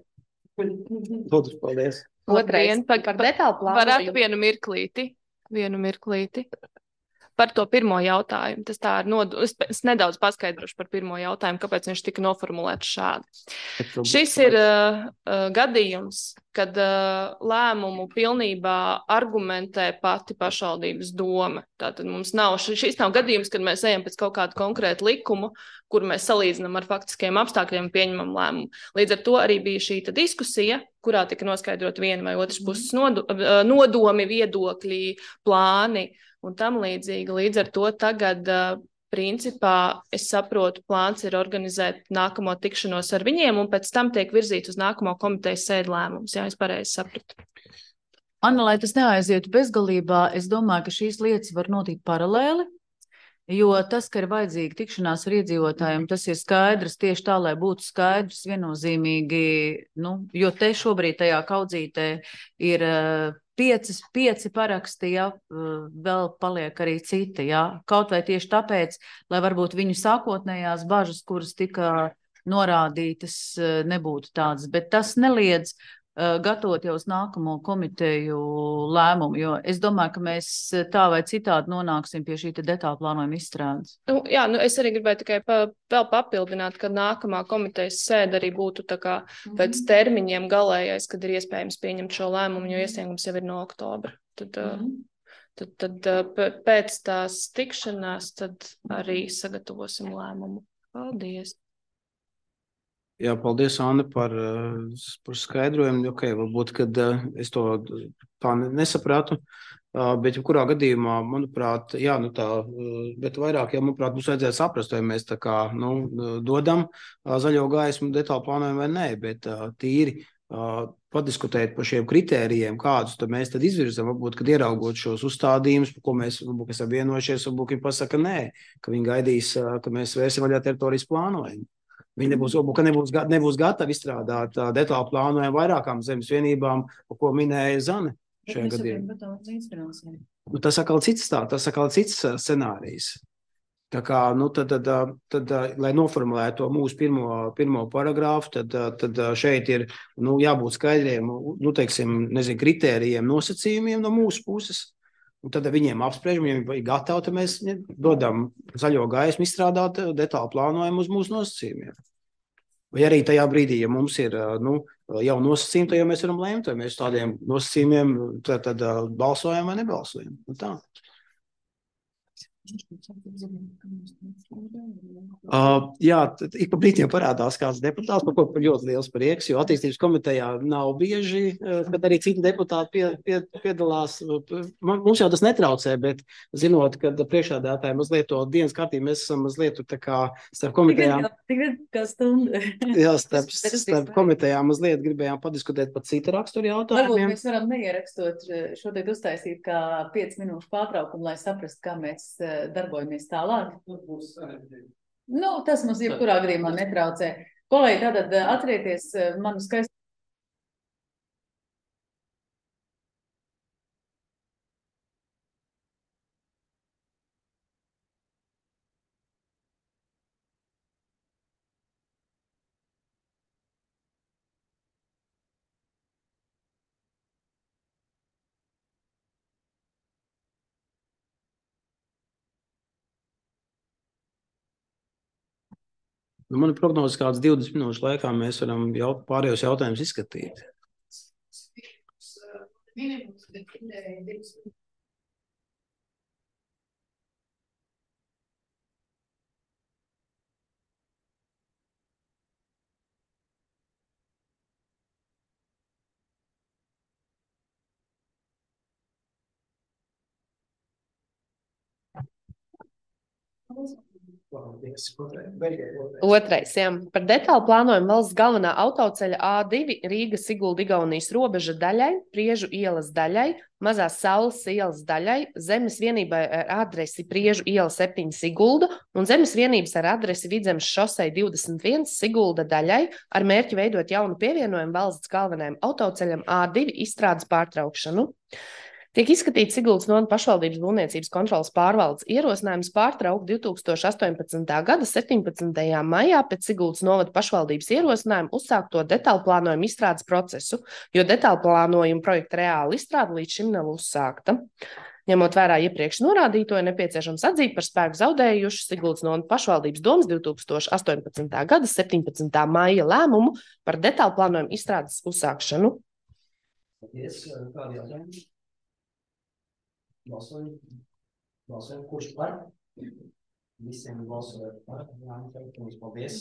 Paldies. Otrais par, par detālu plānu. Varat vienu mirklīti, vienu mirklīti. Par to pirmo jautājumu. Tas tā ir nod... es, es nedaudz paskaidrošu par pirmo jautājumu, kāpēc viņš tika noformulēts šādi. Šis ir uh, uh, gadījums, kad uh, lēmumu pilnībā argumentē pati pašvaldības doma. Tātad mums nav, šis nav gadījums, kad mēs ejam pēc kaut kādu konkrētu likumu, kur mēs salīdzinām ar faktiskiem apstākļiem un pieņemam lēmumu. Līdz ar to arī bija šī diskusija, kurā tika noskaidrot viena vai otras puses nodo, nodomi, viedokļi, plāni un tam līdzīgi. Līdz ar to tagad uh, principā, es saprotu, plāns ir organizēt nākamo tikšanos ar viņiem, un pēc tam tiek virzīts uz nākamo komitejas sēdu lēmums. Jā, es pareizi sapratu. Anna, lai tas neaizietu bezgalībā, es domāju, ka šīs lietas var notikt paralēli, jo tas, ka ir vajadzīga tikšanās ar iedzīvotājiem, tas ir skaidrs tieši tā, lai būtu skaidrs viennozīmīgi, nu, jo te šobrīd tajā kaudzītē ir pieci, pieci paraksti, ja, vēl paliek arī citi, ja, kaut vai tieši tāpēc, lai varbūt viņu sākotnējās bažas, kuras tika norādītas, nebūtu tādas, bet tas neliedz gatavot jau uz nākamo komiteju lēmumu, jo es domāju, ka mēs tā vai citādi nonāksim pie šī te detāla plānojuma izstrādes. Nu, jā, nu es arī gribēju tikai pa, vēl papildināt, ka nākamā komitejas sēde arī būtu tā kā pēc termiņiem galējais, kad ir iespējams pieņemt šo lēmumu, jo iesniegums jau ir no oktobra. Tad, mm-hmm. tad, tad pēc tās tikšanās tad arī sagatavosim lēmumu. Paldies! Jā, paldies, Anna, par, par skaidrojumu. Okay, varbūt, kad es to tā nesapratu, bet jebkurā gadījumā, manuprāt, jā, nu tā, bet vairāk, jā, manuprāt, mums vajadzētu saprast, vai mēs tā kā, nu, dodam zaļo gaismu detālu plānojumu vai nē, bet tīri padiskutēt par šiem kritērijiem, kādus tad mēs tad izvirzam, varbūt, kad ieraugot šos uzstādījumus, par ko mēs, varbūt, esam vienojušies, varbūt, viņi pasaka nē, ka viņi gaidīs, ka mēs vērsim vaļā teritorijas plānojumu. Viņi nebūs, ka nebūs, nebūs gatavi izstrādāt uh, detālu plānojumu vairākām zemes vienībām, ko minēja Zane šajā gadījumā. Nu, tas atkal cits tā, tas atkal cits uh, scenārijs. Tā kā, nu, tad, tad, tad, tad, lai noformulētu to mūsu pirmo, pirmo paragrāfu, tad, tad šeit ir, nu, jābūt skaidriem, nu, teiksim, nezinu, kritērijiem, nosacījumiem no mūsu puses. Un tad viņiem apspriežam, ja viņi ir gatavi, tad mēs dodam zaļo gaismu izstrādāt detālu plānojumu uz mūsu nosacījumiem. Vai arī tajā brīdī, ja mums ir, nu, jau nosacījumi, tad jau mēs varam lēmt, vai mēs tādiem nosacījumiem tad, tad balsojam vai nebalsojam. Un tā. Uh, jā, ik pa brīdiem parādās kāds deputāts, par ko ļoti liels prieks, jo attīstības komitejā nav bieži, bet arī citi deputāti pie, pie, piedalās. Mums jau tas netraucē, bet zinot, ka priekšādātāji mazliet to dienas kārtību, mēs esam mazliet tā kā starp komitejām. Tik kā stundu. Jā, starp, starp komitejām mazliet gribējām padiskutēt par citu raksturu jautājumiem. Varbūt mēs varam neierakstot šodien uztaisīt kā pieci minūšu pārtraukumu, lai saprastu, kā mēs darbojamies tālāk. Nu, tas mums jebkurā gadījumā netraucē. Kolēģi, tātad atcerieties manu skaistu. Nu, man ir prognozes kāds divdesmit minūšu laikā mēs varam jau pārējos jautājumus izskatīt. Otrais, jā. Par detālu plānojumu valsts galvenā autoceļa A divi Rīga Sigulda Igaunijas robeža daļai, Priežu ielas daļai, Mazās Saules ielas daļai, zemes vienībai ar adresi Priežu iela septiņi Sigulda un zemes vienības ar adresi Vidzemes šosei divdesmit viens Sigulda daļai ar mērķi veidot jaunu pievienojumu valsts galvenajam autoceļam A divi izstrādes pārtraukšanu. Tiek izskatīts Siguldas novada pašvaldības būvniecības kontroles pārvaldes ierosinājums pārtraukt divi tūkstoši astoņpadsmitā gada septiņpadsmitajā maijā pēc Siguldas novada pašvaldības ierosinājuma uzsākto detālu plānojumu izstrādes procesu, jo detālu plānojumu projekta reāla izstrāde līdz šim nav uzsākta. Ņemot vērā iepriekš norādīto, ir nepieciešams atzīt par spēku zaudējušu Siguldas novada pašvaldības domas divi tūkstoši astoņpadsmitā gada septiņpadsmitā maija lēmumu par detālu plānojumu izstrādes uzsākšanu. Paldies, kādi jautājumi? Balsojam, balsojam, kurš par? Visiem balsojam par. Paldies.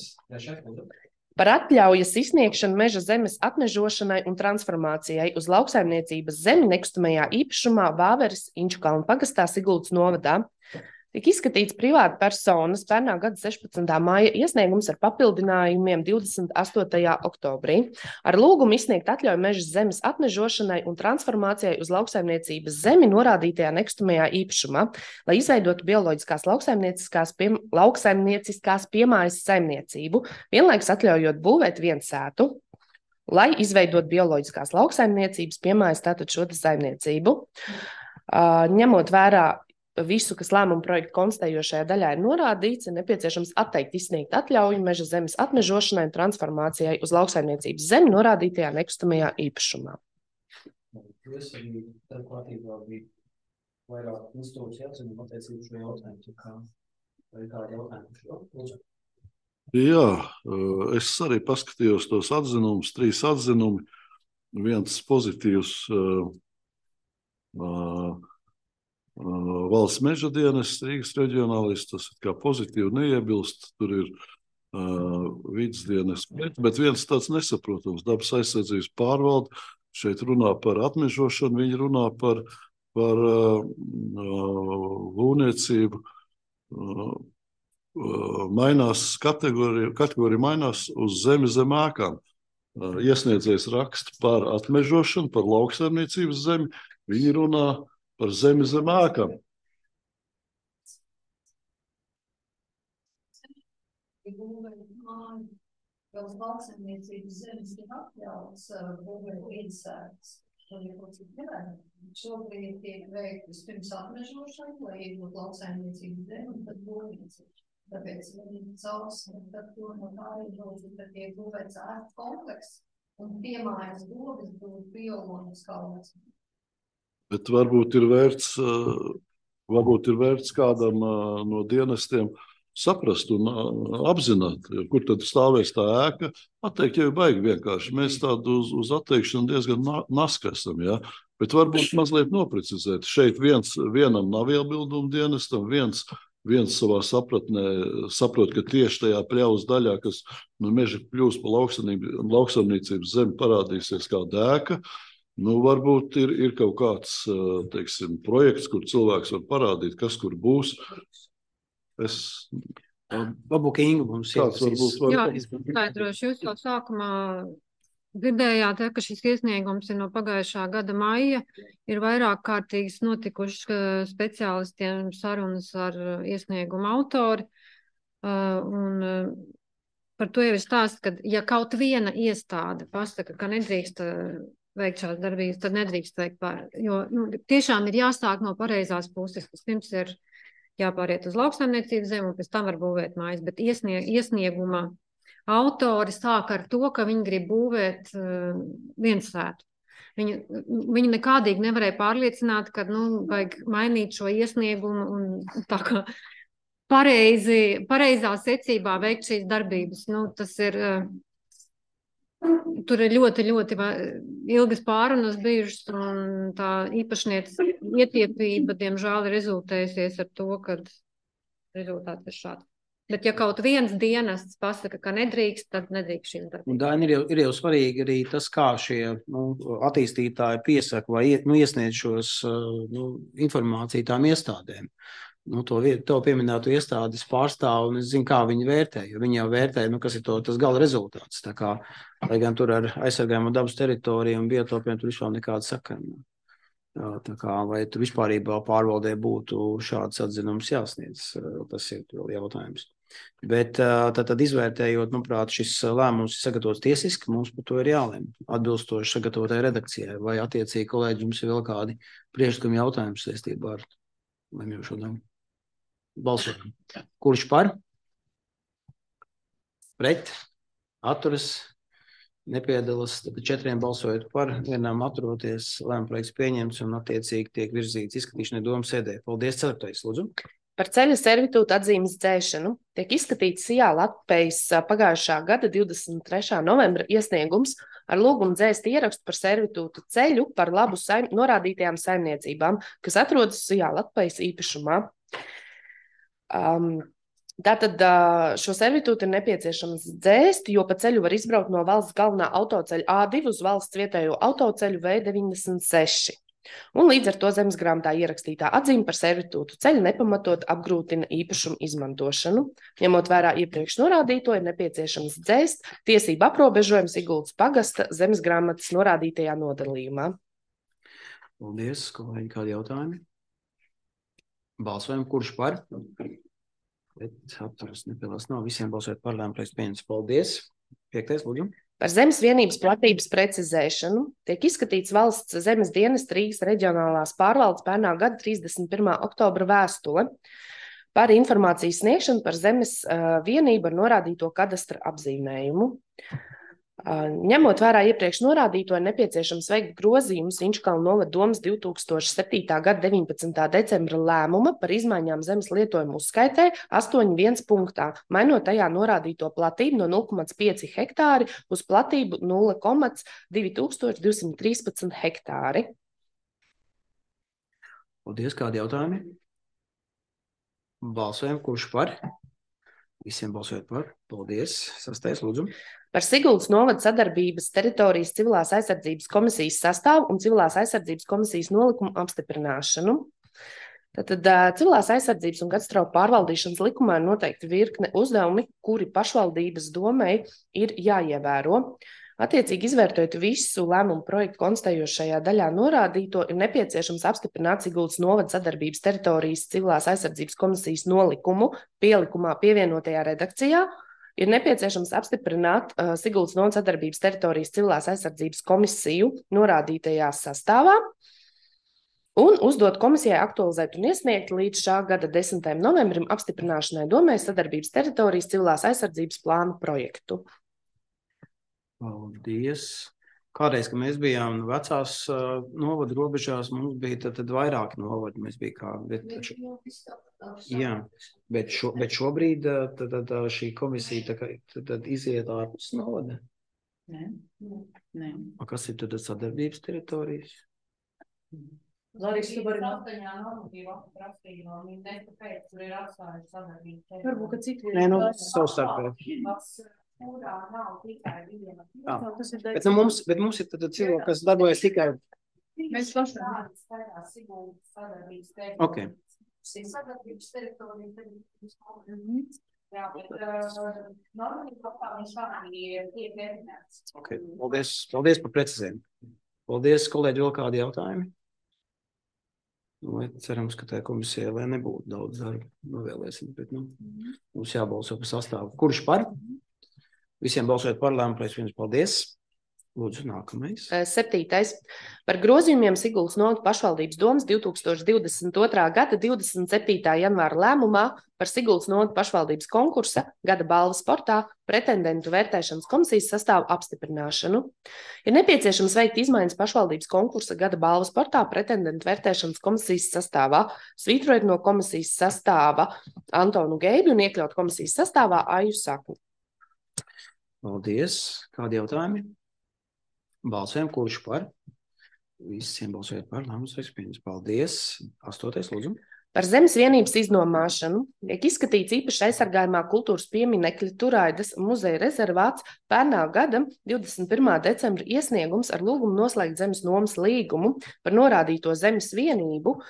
Par atļaujas izsniegšanu meža zemes atmežošanai un transformācijai uz lauksaimniecības zemi nekustamajā īpašumā Vāveres Inčukalnu pagastā Siguldas novadā. Tiek izskatīts privāta personas pērnā gada sešpadsmitā māja iesniegums ar papildinājumiem divdesmit astotajā oktobrī. Ar lūgumu izsniegt atļauju meža zemes atmežošanai un transformācijai uz lauksaimniecības zemi norādītajā nekustamajā īpašumā, lai izveidotu bioloģiskās lauksaimnieciskās, pie, lauksaimnieciskās piemājas saimniecību, vienlaikus atļaujot būvēt viensētu, lai izveidot bioloģiskās lauksaimniecības piemājas tātad šo saimniecību. Uh, ņemot vērā visu, kas lēmuma projekta konstatējošajā daļā ir norādīts, ir nepieciešams atteikt izsniegt atļauju meža zemes atmežošanai un transformācijai uz lauksaimniecības zemi norādītajā nekustamajā īpašumā. Es arī tā kārtībā bija vairāk institūciju atzinumu attiecību šo jautājumu. Kā, vai kādi jautājumi šo? Lūdzu. Jā, es arī paskatījos tos atzinumus, trīs atzinumi. Viens pozitīvs uh, uh, valsts meža dienests, Rīgas reģionālis, tas kā pozitīvi neiebilst, tur ir uh, vides dienests, bet, bet viens tāds nesaprotams, dabas aizsardzības pārvalde, šeit runā par atmežošanu, viņi runā par, par uh, būvniecību, uh, mainās kategorija, kategorija mainās uz zemi zem ēkām. Iesniedzējs raksta par atmežošanu, par lauksaimniecības zemi, viņi runā par zemi zem ēkām. Uz lauksaimniecības zemes ir atļauts būvēt viensētas. Šobrīd tiek veikt vispirms atmežošana, lai iegūt lauksaimniecības zemi un tad būvniecību. Tāpēc viņi causmi, tad to no tā iežodzi, tad tiek būvēts ēku kompleks un piemājas būvis būtu bioloģiskā lauksaimniecība. Bet varbūt ir vērts, varbūt ir vērts kādam no dienestiem saprast un apzināt, kur tad stāvēs tā ēka. Atteikt jau ir baigi vienkārši. Mēs tādu uz, uz atteikšanu diezgan naski esam, ja? Bet varbūt mazliet noprecizēt. Šeit viens, vienam nav iebildumu dienestam, viens, viens savā sapratnē saprot, ka tieši tajā pļavas daļā, kas no meža kļūs pa lauksaimniecības zemi, parādīsies kāda ēka. Nu, varbūt ir, ir kaut kāds, teiksim, projekts, kur cilvēks var parādīt, kas kur būs. Es... Varbūt Inga mums jāsīs. Jā, skaidrošu, jūs jau sākumā dzirdējāt, ka šis iesniegums ir no pagājušā gada maija. Ir vairāk kārtīgas notikušas speciālistiem sarunas ar iesniegumu autori. Un par to jau ir stāsts, ka ja kaut viena iestāde pasaka, ka nedrīkst veikt šādas darbības, tad nedrīkst veikt pār. Jo nu, tiešām ir jāsāk no pareizās puses, kas pirms ir jāpāriet uz lauksaimniecības zemi un pēc tam var būvēt mājas, bet iesnieg, iesnieguma autori sāk ar to, ka viņi grib būvēt uh, viensētu. Viņi, viņi nekādīgi nevarēja pārliecināt, ka nu, vajag mainīt šo iesniegumu un tā kā pareizi, pareizā secībā veikt šīs darbības. Nu, tas ir, uh, tur ir ļoti, ļoti ilgas pārunas bijušas un tā īpašnieces ietiepība, diemžēl, ir rezultējusies ar to, ka rezultāts ir šāds. Bet ja kaut viens dienests pasaka, ka nedrīkst, tad nedrīkst šīs darbības. Un Daini, ir jau, ir jau svarīgi arī tas, kā šie nu, attīstītāji piesaka vai nu, iesniedz šos nu, informāciju tām iestādēm. Nu, to, to pieminētu iestādes pārstāv, un es zinu, kā viņi vērtē, jo viņi jau vērtē, nu, kas ir to, tas gala rezultāts. Tā kā, lai gan tur ar aizsargājumu dabas teritoriju un biotopiem tur vispār nekāda sakara. Tā kā, vai tur vispārībā pārvaldē būtu šāds atzinums jāsniedz, tas ir vēl jautājums. Bet tad, tad izvērtējot, manuprāt, šis lēmums ir sagatavots tiesiski, mums par to ir jālem, atbilstoši sagatavotai redakcijai, vai attiecīgi kolēģi jums ir vēl kādi priekšlikumi jautājumi saistībā ar lemjošo daļu. Balsojam. Kurš par? Pret? Atturas? Nepiedalās, tad četriem balsojot par, vienam atturoties, lēmuma projekts pieņemts un attiecīgi tiek virzīts izskatīšanai domas sēdē. Paldies, ceturtais, lūdzu. Par ceļa servitūta atzīmes dzēšanu tiek izskatīts Sijā Latvejas pagājušā gada divdesmit trešā novembra iesniegums ar lūgumu dzēst ierakstu par servitūtu ceļu par labu saim, norādītajām saimniecībām, kas atrodas Sijā Latvejas īpašumā. Um, Tātad šo servitūtu ir nepieciešams dzēst, jo pa ceļu var izbraukt no valsts galvenā autoceļa A divi uz valsts vietējo autoceļu V deviņdesmit seši. un līdz ar to zemes grāmatā ierakstītā atzīme par servitūtu ceļu nepamatot apgrūtina īpašumu izmantošanu. Ņemot vērā iepriekš norādīto, ir nepieciešams dzēst tiesību aprobežojumu Siguldas pagasta zemes grāmatas norādītajā nodalījumā. Paldies, kolēģi, kādi jautājumi? Balsojam, kurš par? Bet atturas nepiedalās nav. Visiem balsojot par lēmumu projektu pieņemts. Paldies. Piektais, lūdzu. Par zemes vienības platības precizēšanu tiek izskatīts valsts zemes dienesta Rīgas reģionālās pārvaldes pērnā gada trīsdesmit pirmā oktobra vēstule par informācijas sniegšanu par zemes uh, vienību ar norādīto kadastra apzīmējumu. Uh, ņemot vērā iepriekš norādīto, ir nepieciešams veikt grozījumus Inčukalnu novada domes divi tūkstoši septītā gada deviņpadsmitā decembra lēmuma par izmaiņām zemes lietojumu uzskaitē astoņi viens punktā, mainot tajā norādīto platību no nulle komats pieci hektāri uz platību nulle komats divi tūkstoši divsimt trīspadsmit hektāri. Paldies, kādi jautājumi? Balsojam, kurš par? Visiem balsojot par. Paldies. Sastais, lūdzu. Par Siguldas novada sadarbības teritorijas civilās aizsardzības komisijas sastāvu un civilās aizsardzības komisijas nolikumu apstiprināšanu. Tātad civilās aizsardzības un katastrofu pārvaldīšanas likumā ir noteikti virkne uzdevumi, kuri pašvaldības domei ir jāievēro. Attiecīgi izvērtējot visu lēmumu projektu konstatējošajā daļā norādīto, ir nepieciešams apstiprināt Siguldas novada sadarbības teritorijas civilās aizsardzības komisijas nolikumu pielikumā pievienotajā redakcijā. Ir nepieciešams apstiprināt uh, Siguldas novada sadarbības teritorijas civilās aizsardzības komisiju norādītajā sastāvā un uzdot komisijai aktualizēt un iesniegt līdz šā gada desmitajam novembrim apstiprināšanai domē sadarbības teritorijas civilās aizsardzības plānu projektu. Paldies. Kādreiz, kad mēs bijām vecās uh, novada robežās, mums bija tad, tad vairāk novadi. Mēs bija kā, bet, šo, jā, bet, šo, bet šobrīd uh, tad, tad, šī komisija tad, tad, tad iziet ārpus novada. Nē, nē. A, kas ir tad sadarbības teritorijas? Larīs, tu vari astoņā normatīva aprakstījumā, viņi nekā pēc, kur ir atstājuši sadarbības teritorijas. Varbūt, ka citi... Nē, nu, savstarpēji. Kurā nav tikai viena. Jā, bet, nu, mums, bet mums ir tad cilvēki, kas darbojas tikai... Mēs pašām skaitā Siguldas sadarbības teritorijas. Ok. Sadarbības teritorijas. Jā, bet normatīva aprakstījumā tiek definēts. Ok, paldies, paldies par precizējumu. Paldies, kolēģi, vēl kādi jautājumi? Lai cerams, ka tā komisija, lai nebūtu daudz darba, novēlēsim, bet, nu, mums jābalso par sastāvu. Kurš par? Visiem balsojot par lēmumu projektu pieņemts. Paldies. Lūdzu, nākamais. Septītais. Par grozījumiem Siguldas novada pašvaldības domes divi tūkstoši divdesmit otrā gada divdesmit septītā janvāra lēmumā par Siguldas novada pašvaldības konkursa gada balvas sportā pretendentu vērtēšanas komisijas sastāvu apstiprināšanu. Ir nepieciešams veikt izmaiņas pašvaldības konkursa gada balvas sportā pretendentu vērtēšanas komisijas sastāvā, svītrojot no komisijas sastāva Antonu Geibi un iekļaut komisijas sastāvā Aju Sakni. Paldies. Kādi jautājumi? Balsojam, kurš par? Visiem balsojot par lēmumu projektu pieņemts. Paldies. Astotais, lūdzu. Par zemes vienības iznomāšanu tiek izskatīts īpaši aizsargājumā kultūras pieminekļa Turaidas muzeja rezervāts pērnā gada divdesmit pirmā decembra iesniegums ar lūgumu noslēgt zemes nomas līgumu par norādīto zemes vienību,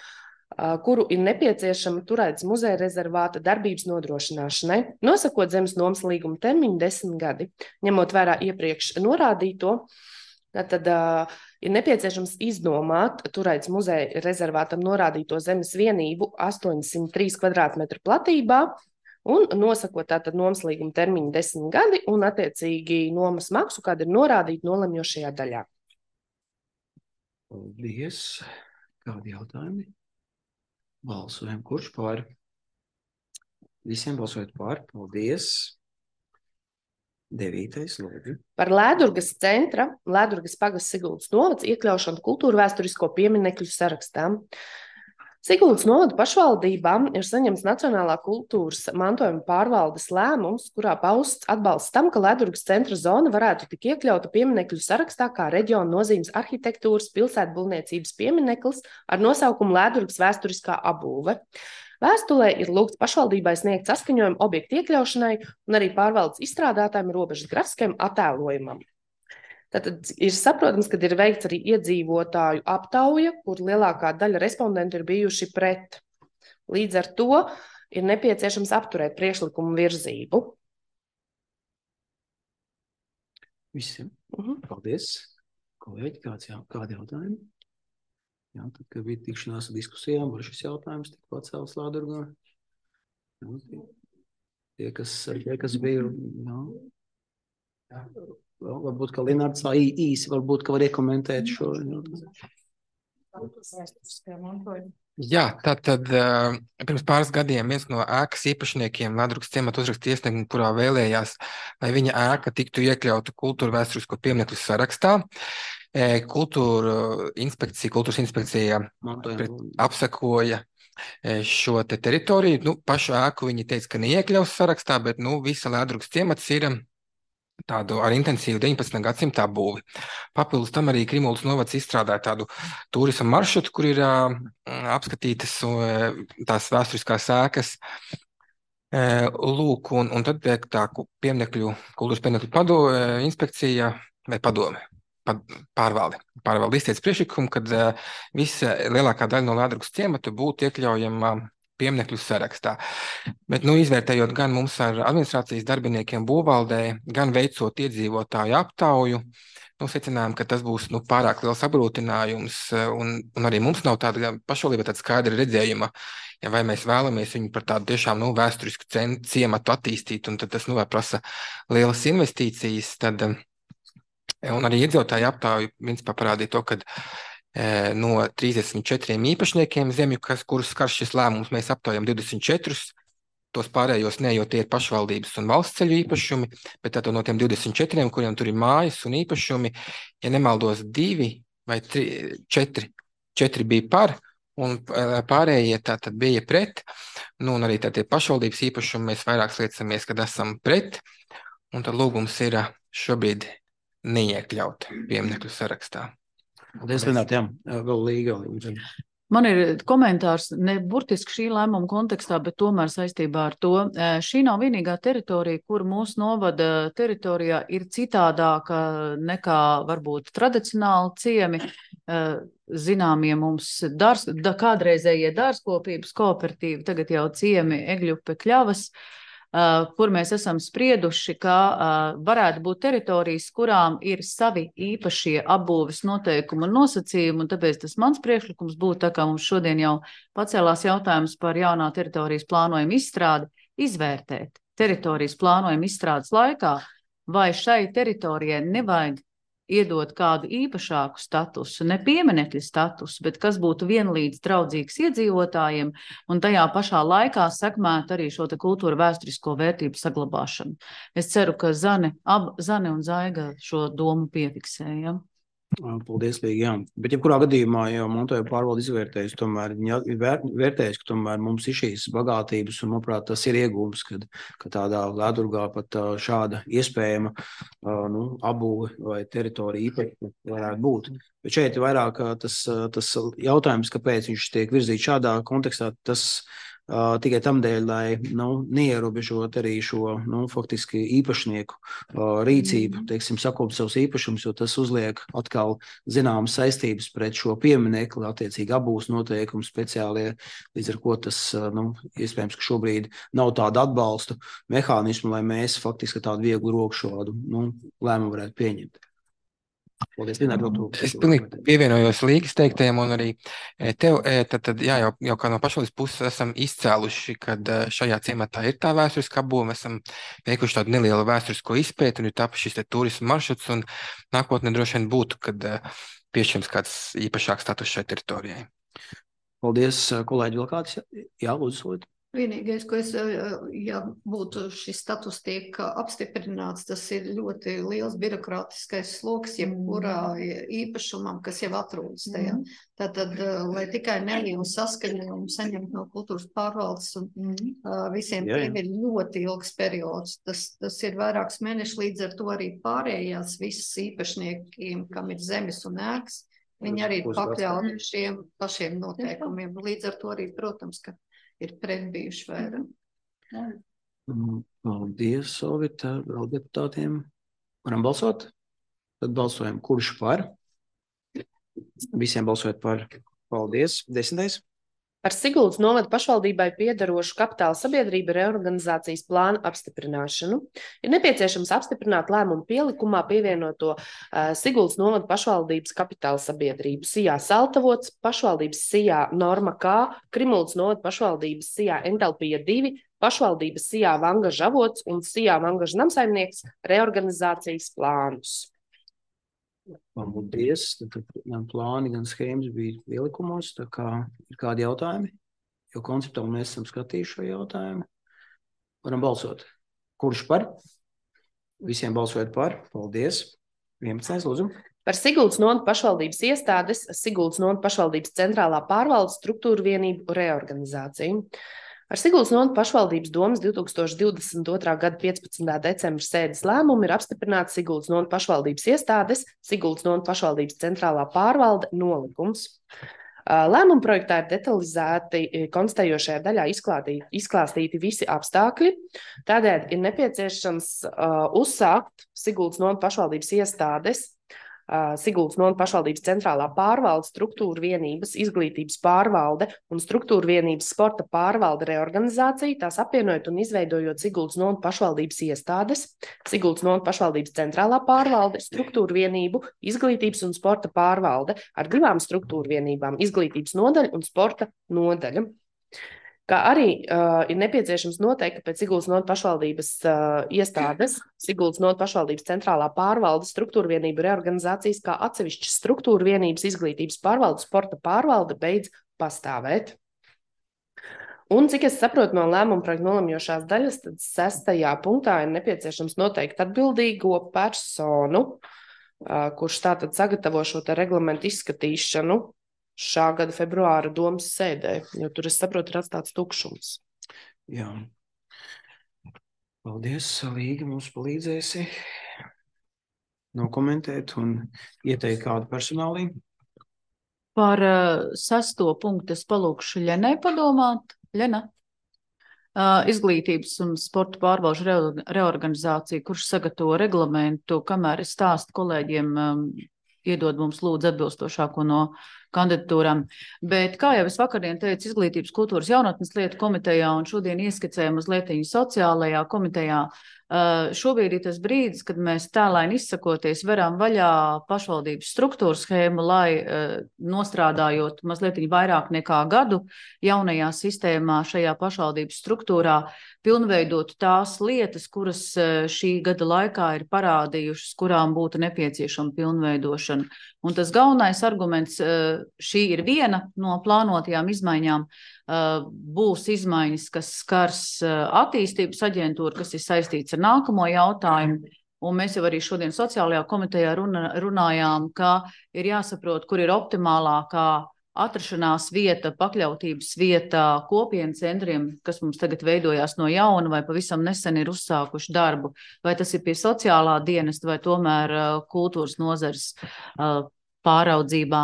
kuru ir nepieciešama Turaidas muzeja rezervāta darbības nodrošināšanai, nosakot zemes nomas līguma termiņu desmit gadi. Ņemot vērā iepriekš norādīto, tad uh, ir nepieciešams iznomāt Turaidas muzeja rezervātam norādīto zemes vienību astoņsimt trīs kvadrātmetru platībā un nosakot tātad nomas līguma termiņu desmit gadi un attiecīgi nomas maksu, kāda ir norādīta nolemjošajā daļā. Paldies. Kādi jautājumi? Balsojam, kurš par? Visiem balsojot par. Paldies. Devītais, lūdzu. Par Lēdurgas centra, Lēdurgas pagasts Siguldas novads iekļaušanu kultūra vēsturisko pieminekļu sarakstām. Siguldas novada pašvaldībām ir saņemts Nacionālā kultūras mantojuma pārvaldes lēmums, kurā pausts atbalsts tam, ka Lēdurgas centra zona varētu tik iekļauta pieminekļu sarakstā kā reģiona nozīmes arhitektūras pilsētbūvniecības piemineklis ar nosaukumu Lēdurgas vēsturiskā apbūve. Vēstulē ir lūgts pašvaldībai sniegt saskaņojumu objektu iekļaušanai un arī pārvaldes izstrādātājiem robežas grafiskajam attēlojumam. Tātad ir saprotams, ka ir veikts arī iedzīvotāju aptauja, kur lielākā daļa respondentu ir bijuši pret. Līdz ar to ir nepieciešams apturēt priekšlikumu virzību. Visiem. Mhm. Paldies. Kolēģi, kāds jā, kādi jautājumi? Jā, tad, kad bija tikšanās diskusijām, var šis jautājums tik pacēls Lādurgā. Jā, tie, tie, kas, tie, kas bija, jā. Vēl, varbūt, ka Linārds tā īsi, varbūt, ka var iekomentēt šo. Jā, tātad pirms pāris gadiem viens no ēkas īpašniekiem Lādurgas ciemata uzrakstīja iesniegumu, kurā vēlējās, lai viņa ēka tiktu iekļauta kultūra vēsturisko pieminekļu sarakstā. Kultūra inspekcija, kultūras inspekcija apsekoja šo te teritoriju. Nu, pašu ēku viņi teica, ka neiekļaus sarakstā, bet nu, visa Lādurgas ciemats ir tādu ar intensīvu deviņpadsmitā gadsimtā būvi. Papildus tam arī Krimulas novads izstrādāja tādu turisma maršrutu, kur ir uh, apskatītas uh, tās vēsturiskās ēkas. Uh, lūk, un, un tad tā pieminekļu, kultūras pieminekļu pado, uh, inspekcija vai padome, pad, pārvalde. Pārvalde izteica priekšlikumu, kad uh, visa lielākā daļa no Lādurgas ciemata būtu iekļaujama pieminekļu sarakstā. Bet, nu, izvērtējot gan mums ar administrācijas darbiniekiem būvvaldē, gan veicot iedzīvotāju aptauju, nu, secinājām, ka tas būs nu, pārāk liels apgrūtinājums, un, un arī mums nav tāda pašvaldība tāda skaidra redzējuma, ja vai mēs vēlamies viņu par tādu tiešām nu, vēsturisku ciematu attīstīt, un tad tas nu, prasa lielas investīcijas, tad, un arī iedzīvotāju aptauju principā parādīja to, ka no trīsdesmit četriem īpašniekiem zemju, kas, kurus skar šis lēmums, mēs aptaujam divdesmit četrus, tos pārējos ne, jo tie ir pašvaldības un valsts ceļu īpašumi, bet tātad no tiem divdesmit četriem, kuriem tur ir mājas un īpašumi, ja nemaldos divi vai tri, četri, četri bija par, un pārējie tātad bija pret, nu un arī tātie pašvaldības īpašumi mēs vairāk sliecamies, kad esam pret, un tad lūgums ir šobrīd neiekļaut pieminekļu sarakstā. Paldies, Lināt, jā, vēl līga. Man ir komentārs ne burtiski šī lēmuma kontekstā, bet tomēr saistībā ar to. Šī nav vienīgā teritorija, kur mūsu novada teritorijā ir citādāka nekā varbūt tradicionāli ciemi. Zināmie mums dārs, da, kādreizējie dārzkopības kooperatīvi, tagad jau ciemi Egļupe, Kļavas, Uh, kur mēs esam sprieduši, ka uh, varētu būt teritorijas, kurām ir savi īpašie apbūves noteikumi un nosacījumi, un tāpēc tas mans priekšlikums būtu, tā kā mums šodien jau pacēlās jautājums par jaunā teritorijas plānojuma izstrādi, izvērtēt teritorijas plānojuma izstrādes laikā, vai šai teritorijai nevajag iedot kādu īpašāku statusu, ne pieminekļa statusu, bet kas būtu vienlīdz draudzīgs iedzīvotājiem un tajā pašā laikā sekmētu arī šo te kultūra vēsturisko vērtību saglabāšanu. Es ceru, ka Zane, ab, Zane un Zaiga šo domu piefiksēja. Paldies, Līga, jā. Bet jebkurā gadījumā jau Montoja pārvalde izvērtējusi, tomēr viņi vērtējuši, ka tomēr mums ir šīs bagātības un, manuprāt, tas ir iegūms, kad, ka tādā Lādurgā pat šāda iespējama nu, apbūve vai teritorija īpaši varētu būt. Bet šeit ir vairāk tas, tas jautājums, kāpēc viņš tiek virzīts šādā kontekstā, tas Uh, tikai tam dēļ, lai nu, neierobežot arī šo nu, faktiski īpašnieku uh, rīcību, teiksim, sakop savus īpašumus, jo tas uzliek atkal zināmas saistības pret šo pieminekli, attiecīgi apbūves noteikumu speciālie, līdz ar ko tas, uh, nu, iespējams, ka šobrīd nav tāda atbalsta mehānismu, lai mēs faktiski tādu vieglu roku šādu nu, lēmumu varētu pieņemt. Paldies, Lināt, es pilnīgi pievienojos Līgas teiktajam un arī tev, tad, tad jā, jau, jau kā no pašvaldības puses esam izcēluši, kad šajā ciematā ir tā vēsturiska apbūve, mēs esam veikuši tādu nelielu vēsturisko izpēti un ir tapu šis te turisma maršruts un nākotnē droši vien būtu, kad piešķirams kāds īpašāks status šai teritorijai. Paldies, kolēģi, vēl kāds? Jā, lūdzu, solīt. Vienīgais, ko es, ja būtu šis status tiek apstiprināts, tas ir ļoti liels birokrātiskais sloks, jebkurā īpašumam, kas jau atrodas tajā. Tātad, lai tikai nelielu saskaņojumu saņemt no kultūras pārvaldes un uh, visiem jā, jā. Tiem ir ļoti ilgs periods. Tas, tas ir vairāks mēneši, līdz ar to arī pārējās visas īpašniekiem, kam ir zemes un ēkas, viņi arī ir pakļauti šiem pašiem noteikumiem. Līdz ar to arī, protams, ka ir pretbijuši vairāk. Paldies, Solvita, vēl deputātiem. Varam balsot? Tad balsojam, kurš par? Visiem balsojot par. Paldies. Desmitais. Par Siguldas novada pašvaldībai piederošu kapitāla sabiedrību reorganizācijas plānu apstiprināšanu. Ir nepieciešams apstiprināt lēmumu pielikumā pievienoto uh, Siguldas novada pašvaldības kapitāla sabiedrību Sijā Saltavots, pašvaldības Sijā Norma K, Krimuldas novada pašvaldības Sijā Entalpija divi, pašvaldības Sijā Vangaža avots un Sijā Vangaža namsaimnieks reorganizācijas plānus. Paldies. Tad gan plāni, gan schēmas bija pielikumos, tā kā ir kādi jautājumi, jo konceptuāli mēs esam skatījuši šo jautājumu. Varam balsot. Kurš par? Visiem balsojot par. Paldies. vienpadsmitais. Lūdzu. Par Siguldas novada pašvaldības iestādes, Siguldas novada pašvaldības centrālā pārvaldes struktūru vienību reorganizāciju. Ar Siguldas novada pašvaldības domas divs tūkstoši divdesmit otrā gada piecpadsmitā decembra sēdes lēmumu ir apstiprināts Siguldas novada pašvaldības iestādes, Siguldas novada pašvaldības centrālā pārvalde nolikums. Lēmuma projektā ir detalizēti konstatējošajā daļā izklātīti, izklāstīti visi apstākļi. Tādēļ ir nepieciešams uh, uzsākt Siguldas novada pašvaldības iestādes, uh, Siguldas novada pašvaldības centrālā pārvalde, struktūra vienības, izglītības pārvalde un struktūra vienības sporta pārvalde reorganizāciju, tās apvienojot un izveidojot Siguldas novada pašvaldības iestādes, Siguldas novada pašvaldības centrālā pārvalde, struktūra vienību, izglītības un sporta pārvalde ar divām struktūra vienībām, izglītības nodaļa un sporta nodaļa. Kā arī uh, ir nepieciešams noteikt, ka pēc Siguldas novada pašvaldības uh, iestādes, Siguldas novada pašvaldības centrālā pārvalde, struktūra vienību reorganizācijas kā atsevišķas struktūra vienības, izglītības pārvalde, sporta pārvalde beidz pastāvēt. Un, cik es saprotu no lēmuma projekta nolemjošās daļas, tad sestajā punktā ir nepieciešams noteikt atbildīgo personu, uh, kurš tātad sagatavo šo te reglamentu izskatīšanu šā gada februāra domas sēdē, jo tur, es saprotu, ir atstāts tukšums. Jā. Paldies, Līga, mums palīdzēsi nokomentēt un ieteikt kādu personālī. Par uh, sesto punktu es palūkšu Ļenai padomāt. Ļena. Uh, izglītības un sporta pārvalžu re reorganizācija, kurš sagatavo reglamentu, kamēr es stāstu kolēģiem, um, iedod mums lūdzu atbilstošāko no kandidatūram. Bet, kā jau es vakardien teicu, Izglītības, kultūras, jaunatnes lietu komitejā un šodien ieskicēju mazliet sociālajā komitejā, uh, šobrīd ir tas brīdis, kad mēs tēlaini izsakoties veram vaļā pašvaldības struktūru schēmu, lai uh, nostrādājot mazliet vairāk nekā gadu jaunajā sistēmā šajā pašvaldības struktūrā pilnveidot tās lietas, kuras uh, šī gada laikā ir parādījušas, kurām būtu nepieciešama pilnveidošana. Un tas galvenais arguments, uh, šī ir viena no plānotajām izmaiņām, uh, būs izmaiņas, kas skars uh, attīstības aģentūru, kas ir saistīts ar nākamo jautājumu. Un mēs jau arī šodien sociālajā komitejā runa, runājām, ka ir jāsaprot, kur ir optimālākā atrašanās vieta, pakļautības vieta kopienu centriem, kas mums tagad veidojās no jauna vai pavisam nesen ir uzsākuši darbu. Vai tas ir pie sociālā dienesta vai tomēr uh, kultūras nozares uh, pāraudzībā.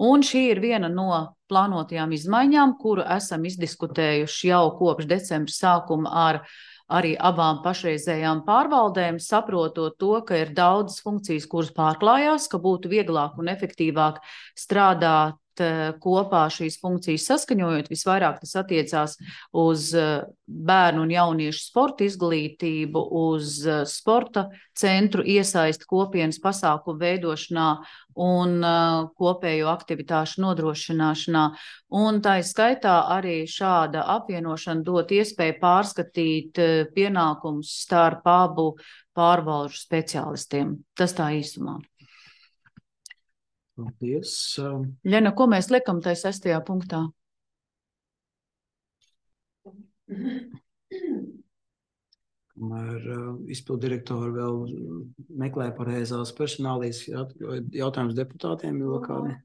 Un šī ir viena no plānotajām izmaiņām, kuru esam izdiskutējuši jau kopš decembra sākuma ar arī abām pašreizējām pārvaldēm, saprotot to, ka ir daudzas funkcijas, kuras pārklājās, ka būtu vieglāk un efektīvāk strādāt kopā šīs funkcijas saskaņojot. Visvairāk tas attiecās uz bērnu un jauniešu sporta izglītību, uz sporta centru iesaisti kopienas pasākumu veidošanā un kopējo aktivitāšu nodrošināšanā. Un tā skaitā arī šāda apvienošana dot iespēju pārskatīt pienākumus starp abu pārvalžu speciālistiem. Tas tā īsumā. Paldies. Ļena, ko mēs liekam tajā sestajā punktā? Kamēr uh, izpildirektori vēl meklē pareizās personālijas jautājumus deputātiem, jo kādi?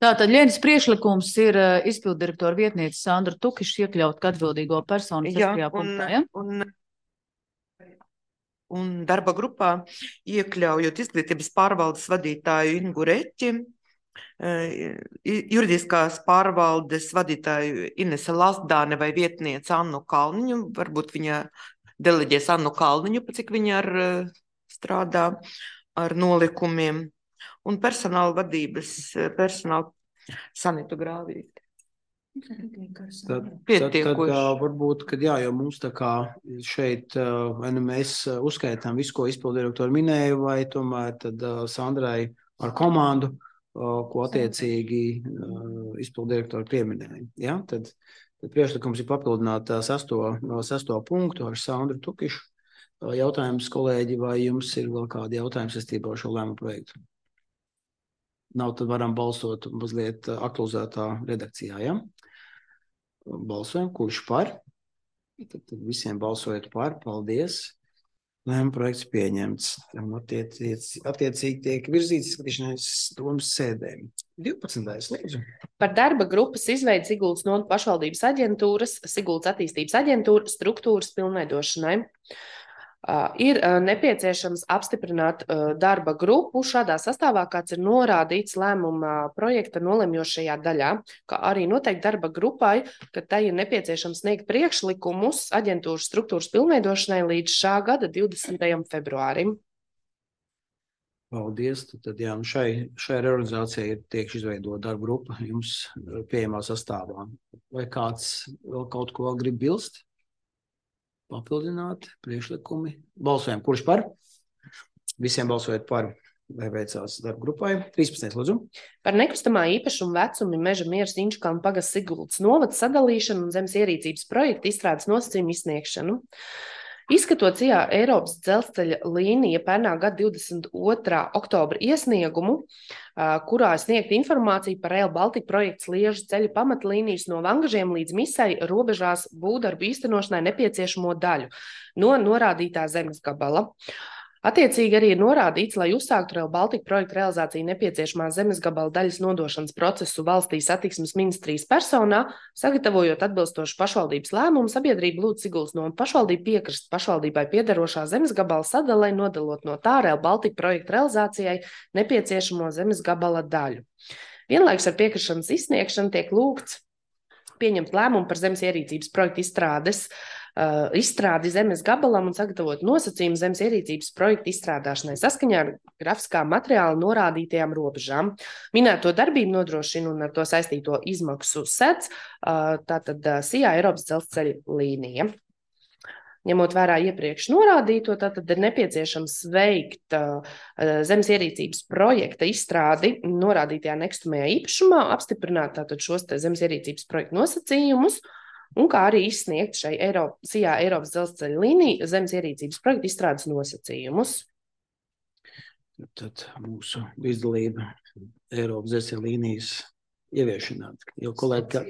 Tātad Ļenas priekšlikums ir uh, izpildirektora vietniece Sandra Tukiša iekļaut kā atbildīgo personu sestajā punktā, ja? Un, un darba grupā iekļaujot izglītības pārvaldes vadītāju Ingu Reķi, juridiskās pārvaldes vadītāju Inese Lasdāne vai vietniece Annu Kalniņu. Varbūt viņa deleģēs Annu Kalniņu, pa cik viņa ar, strādā ar nolikumiem. Un personāla vadības, personāla Sanitu Grāvīti. Tad, tad, tad uh, varbūt, kad jā, jo mums tā kā šeit, uh, vai nu mēs uzskaitām visu, ko izpildirektori minēja, vai tomēr tad uh, Sandrai ar komandu, uh, ko attiecīgi uh, izpildirektori pieminēja. Ja? Tad, tad priekšlikums ir papildināt uh, sesto, uh, sesto punktu ar Sandru Tukišu. Uh, jautājums, kolēģi, vai jums ir vēl kādi jautājumi saistībā ar šo lēmumu projektu? Nav, tad varam balsot mazliet aktualizētā redakcijā, ja? Balsojam, kurš par? Tad, tad visiem balsojot par, paldies. Lēmuma projekts pieņemts. Attiec, attiecīgi tiek virzīts izskatīšanās domas sēdēm. divpadsmitais lūdzu. Par darba grupas izveidi Sigultas novads pašvaldības aģentūras, Sigultas attīstības aģentūra struktūras pilnveidošanai. Uh, ir uh, nepieciešams apstiprināt uh, darba grupu šādā sastāvā, kāds ir norādīts lēmuma projekta nolemjošajā daļā, kā arī noteikti darba grupai, ka tai ir nepieciešams sniegt priekšlikumus aģentūras struktūras pilnveidošanai līdz šā gada divdesmitajam februārim. Paldies. Tad, jā, šai, šai reorganizācijai ir tiek izveidota darba grupa jums pieejamā sastāvā. Vai kāds vēl kaut ko vēl grib bilst? Papildināt priekšlikumi. Balsojam, kurš par? Visiem balsojot par, vai veicās darba grupai. trīspadsmitais lūdzu. Par nekustamā īpašuma vecumu Meža Mieras Inčukalnu pagasts Sigultas novads sadalīšanu un zemes ierīcības projektu izstrādes nosacījumu izsniegšanu. Izskatot C I A Eiropas dzelzceļa līnija pērnā gada divdesmit otrā oktobra iesniegumu, kurā sniegt informāciju par Rail Baltica projekts Liežu ceļa pamatlīnijas no Vangažiem līdz Misai robežās būvdarbu īstenošanai nepieciešamo daļu no norādītā zemes gabala. Attiecīgi arī ir norādīts, lai uzsāktu Rail Baltica projekta realizāciju nepieciešamā zemes gabala daļas nodošanas procesu valstī satiksmes ministrijas personā, sagatavojot atbilstošu pašvaldības lēmumu, sabiedrība lūdz Sigultas novads pašvaldību piekrist pašvaldībai piederošā zemes gabala sadalē, nodalot no tā Rail Baltica projekta realizācijai nepieciešamo zemes gabala daļu. Vienlaikus ar piekrišanas izsniegšanu tiek lūgts pieņemt lēmumu par zemes ierīcības projekta izstrādes Uh, izstrādi zemes gabalam un sagatavot nosacījumu zemes ierīcības projektu izstrādāšanai saskaņā ar grafiskā materiāla norādītajām robežām. Minēto darbību nodrošina un ar to saistīto izmaksu sec, uh, tātad uh, C I A Eiropas dzelzceļa līnija. Ņemot vērā iepriekš norādīto, tātad ir nepieciešams veikt uh, zemes ierīcības projekta izstrādi norādītajā nekustamajā īpašumā, apstiprināt tātad šos te zemes ierīcības projekta nosacījumus, un kā arī izsniegt šai Eiropa, C I A Eiropas dzelzceļa līnija zemes ierīcības projekta izstrādes nosacījumus. Tad mūsu līdzdalība Eiropas dzelzceļa līnijas ieviešanā. Jo kolēģi, ka...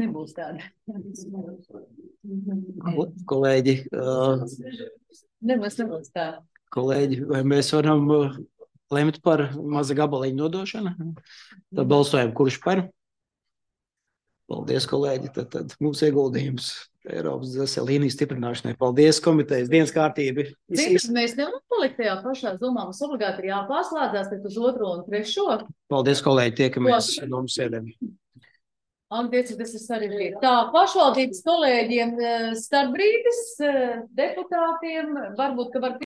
Nebūs tāda. Kolēģi, uh... nebūs, nebūs tāda. Kolēģi, vai mēs varam uh, lemt par maza gabaliņu nodošanu? Tad balsojam, kurš par? Paldies, kolēģi. Tad, tad mums ieguldījums Eiropas dzelzceļa līnijas stiprināšanai. Paldies, komitejas dienas kārtība. Ziniet, mēs nevaram palikt tajā pašā zomā. Mums obligāti ir jāpārslēdzās uz otro un trešo. Paldies, kolēģi. Tiekamies domas sēdēm. Antieci, tas ir sarežģīti. Tā, pašvaldības kolēģiem starp brīdis, deputātiem, varbūt, ka var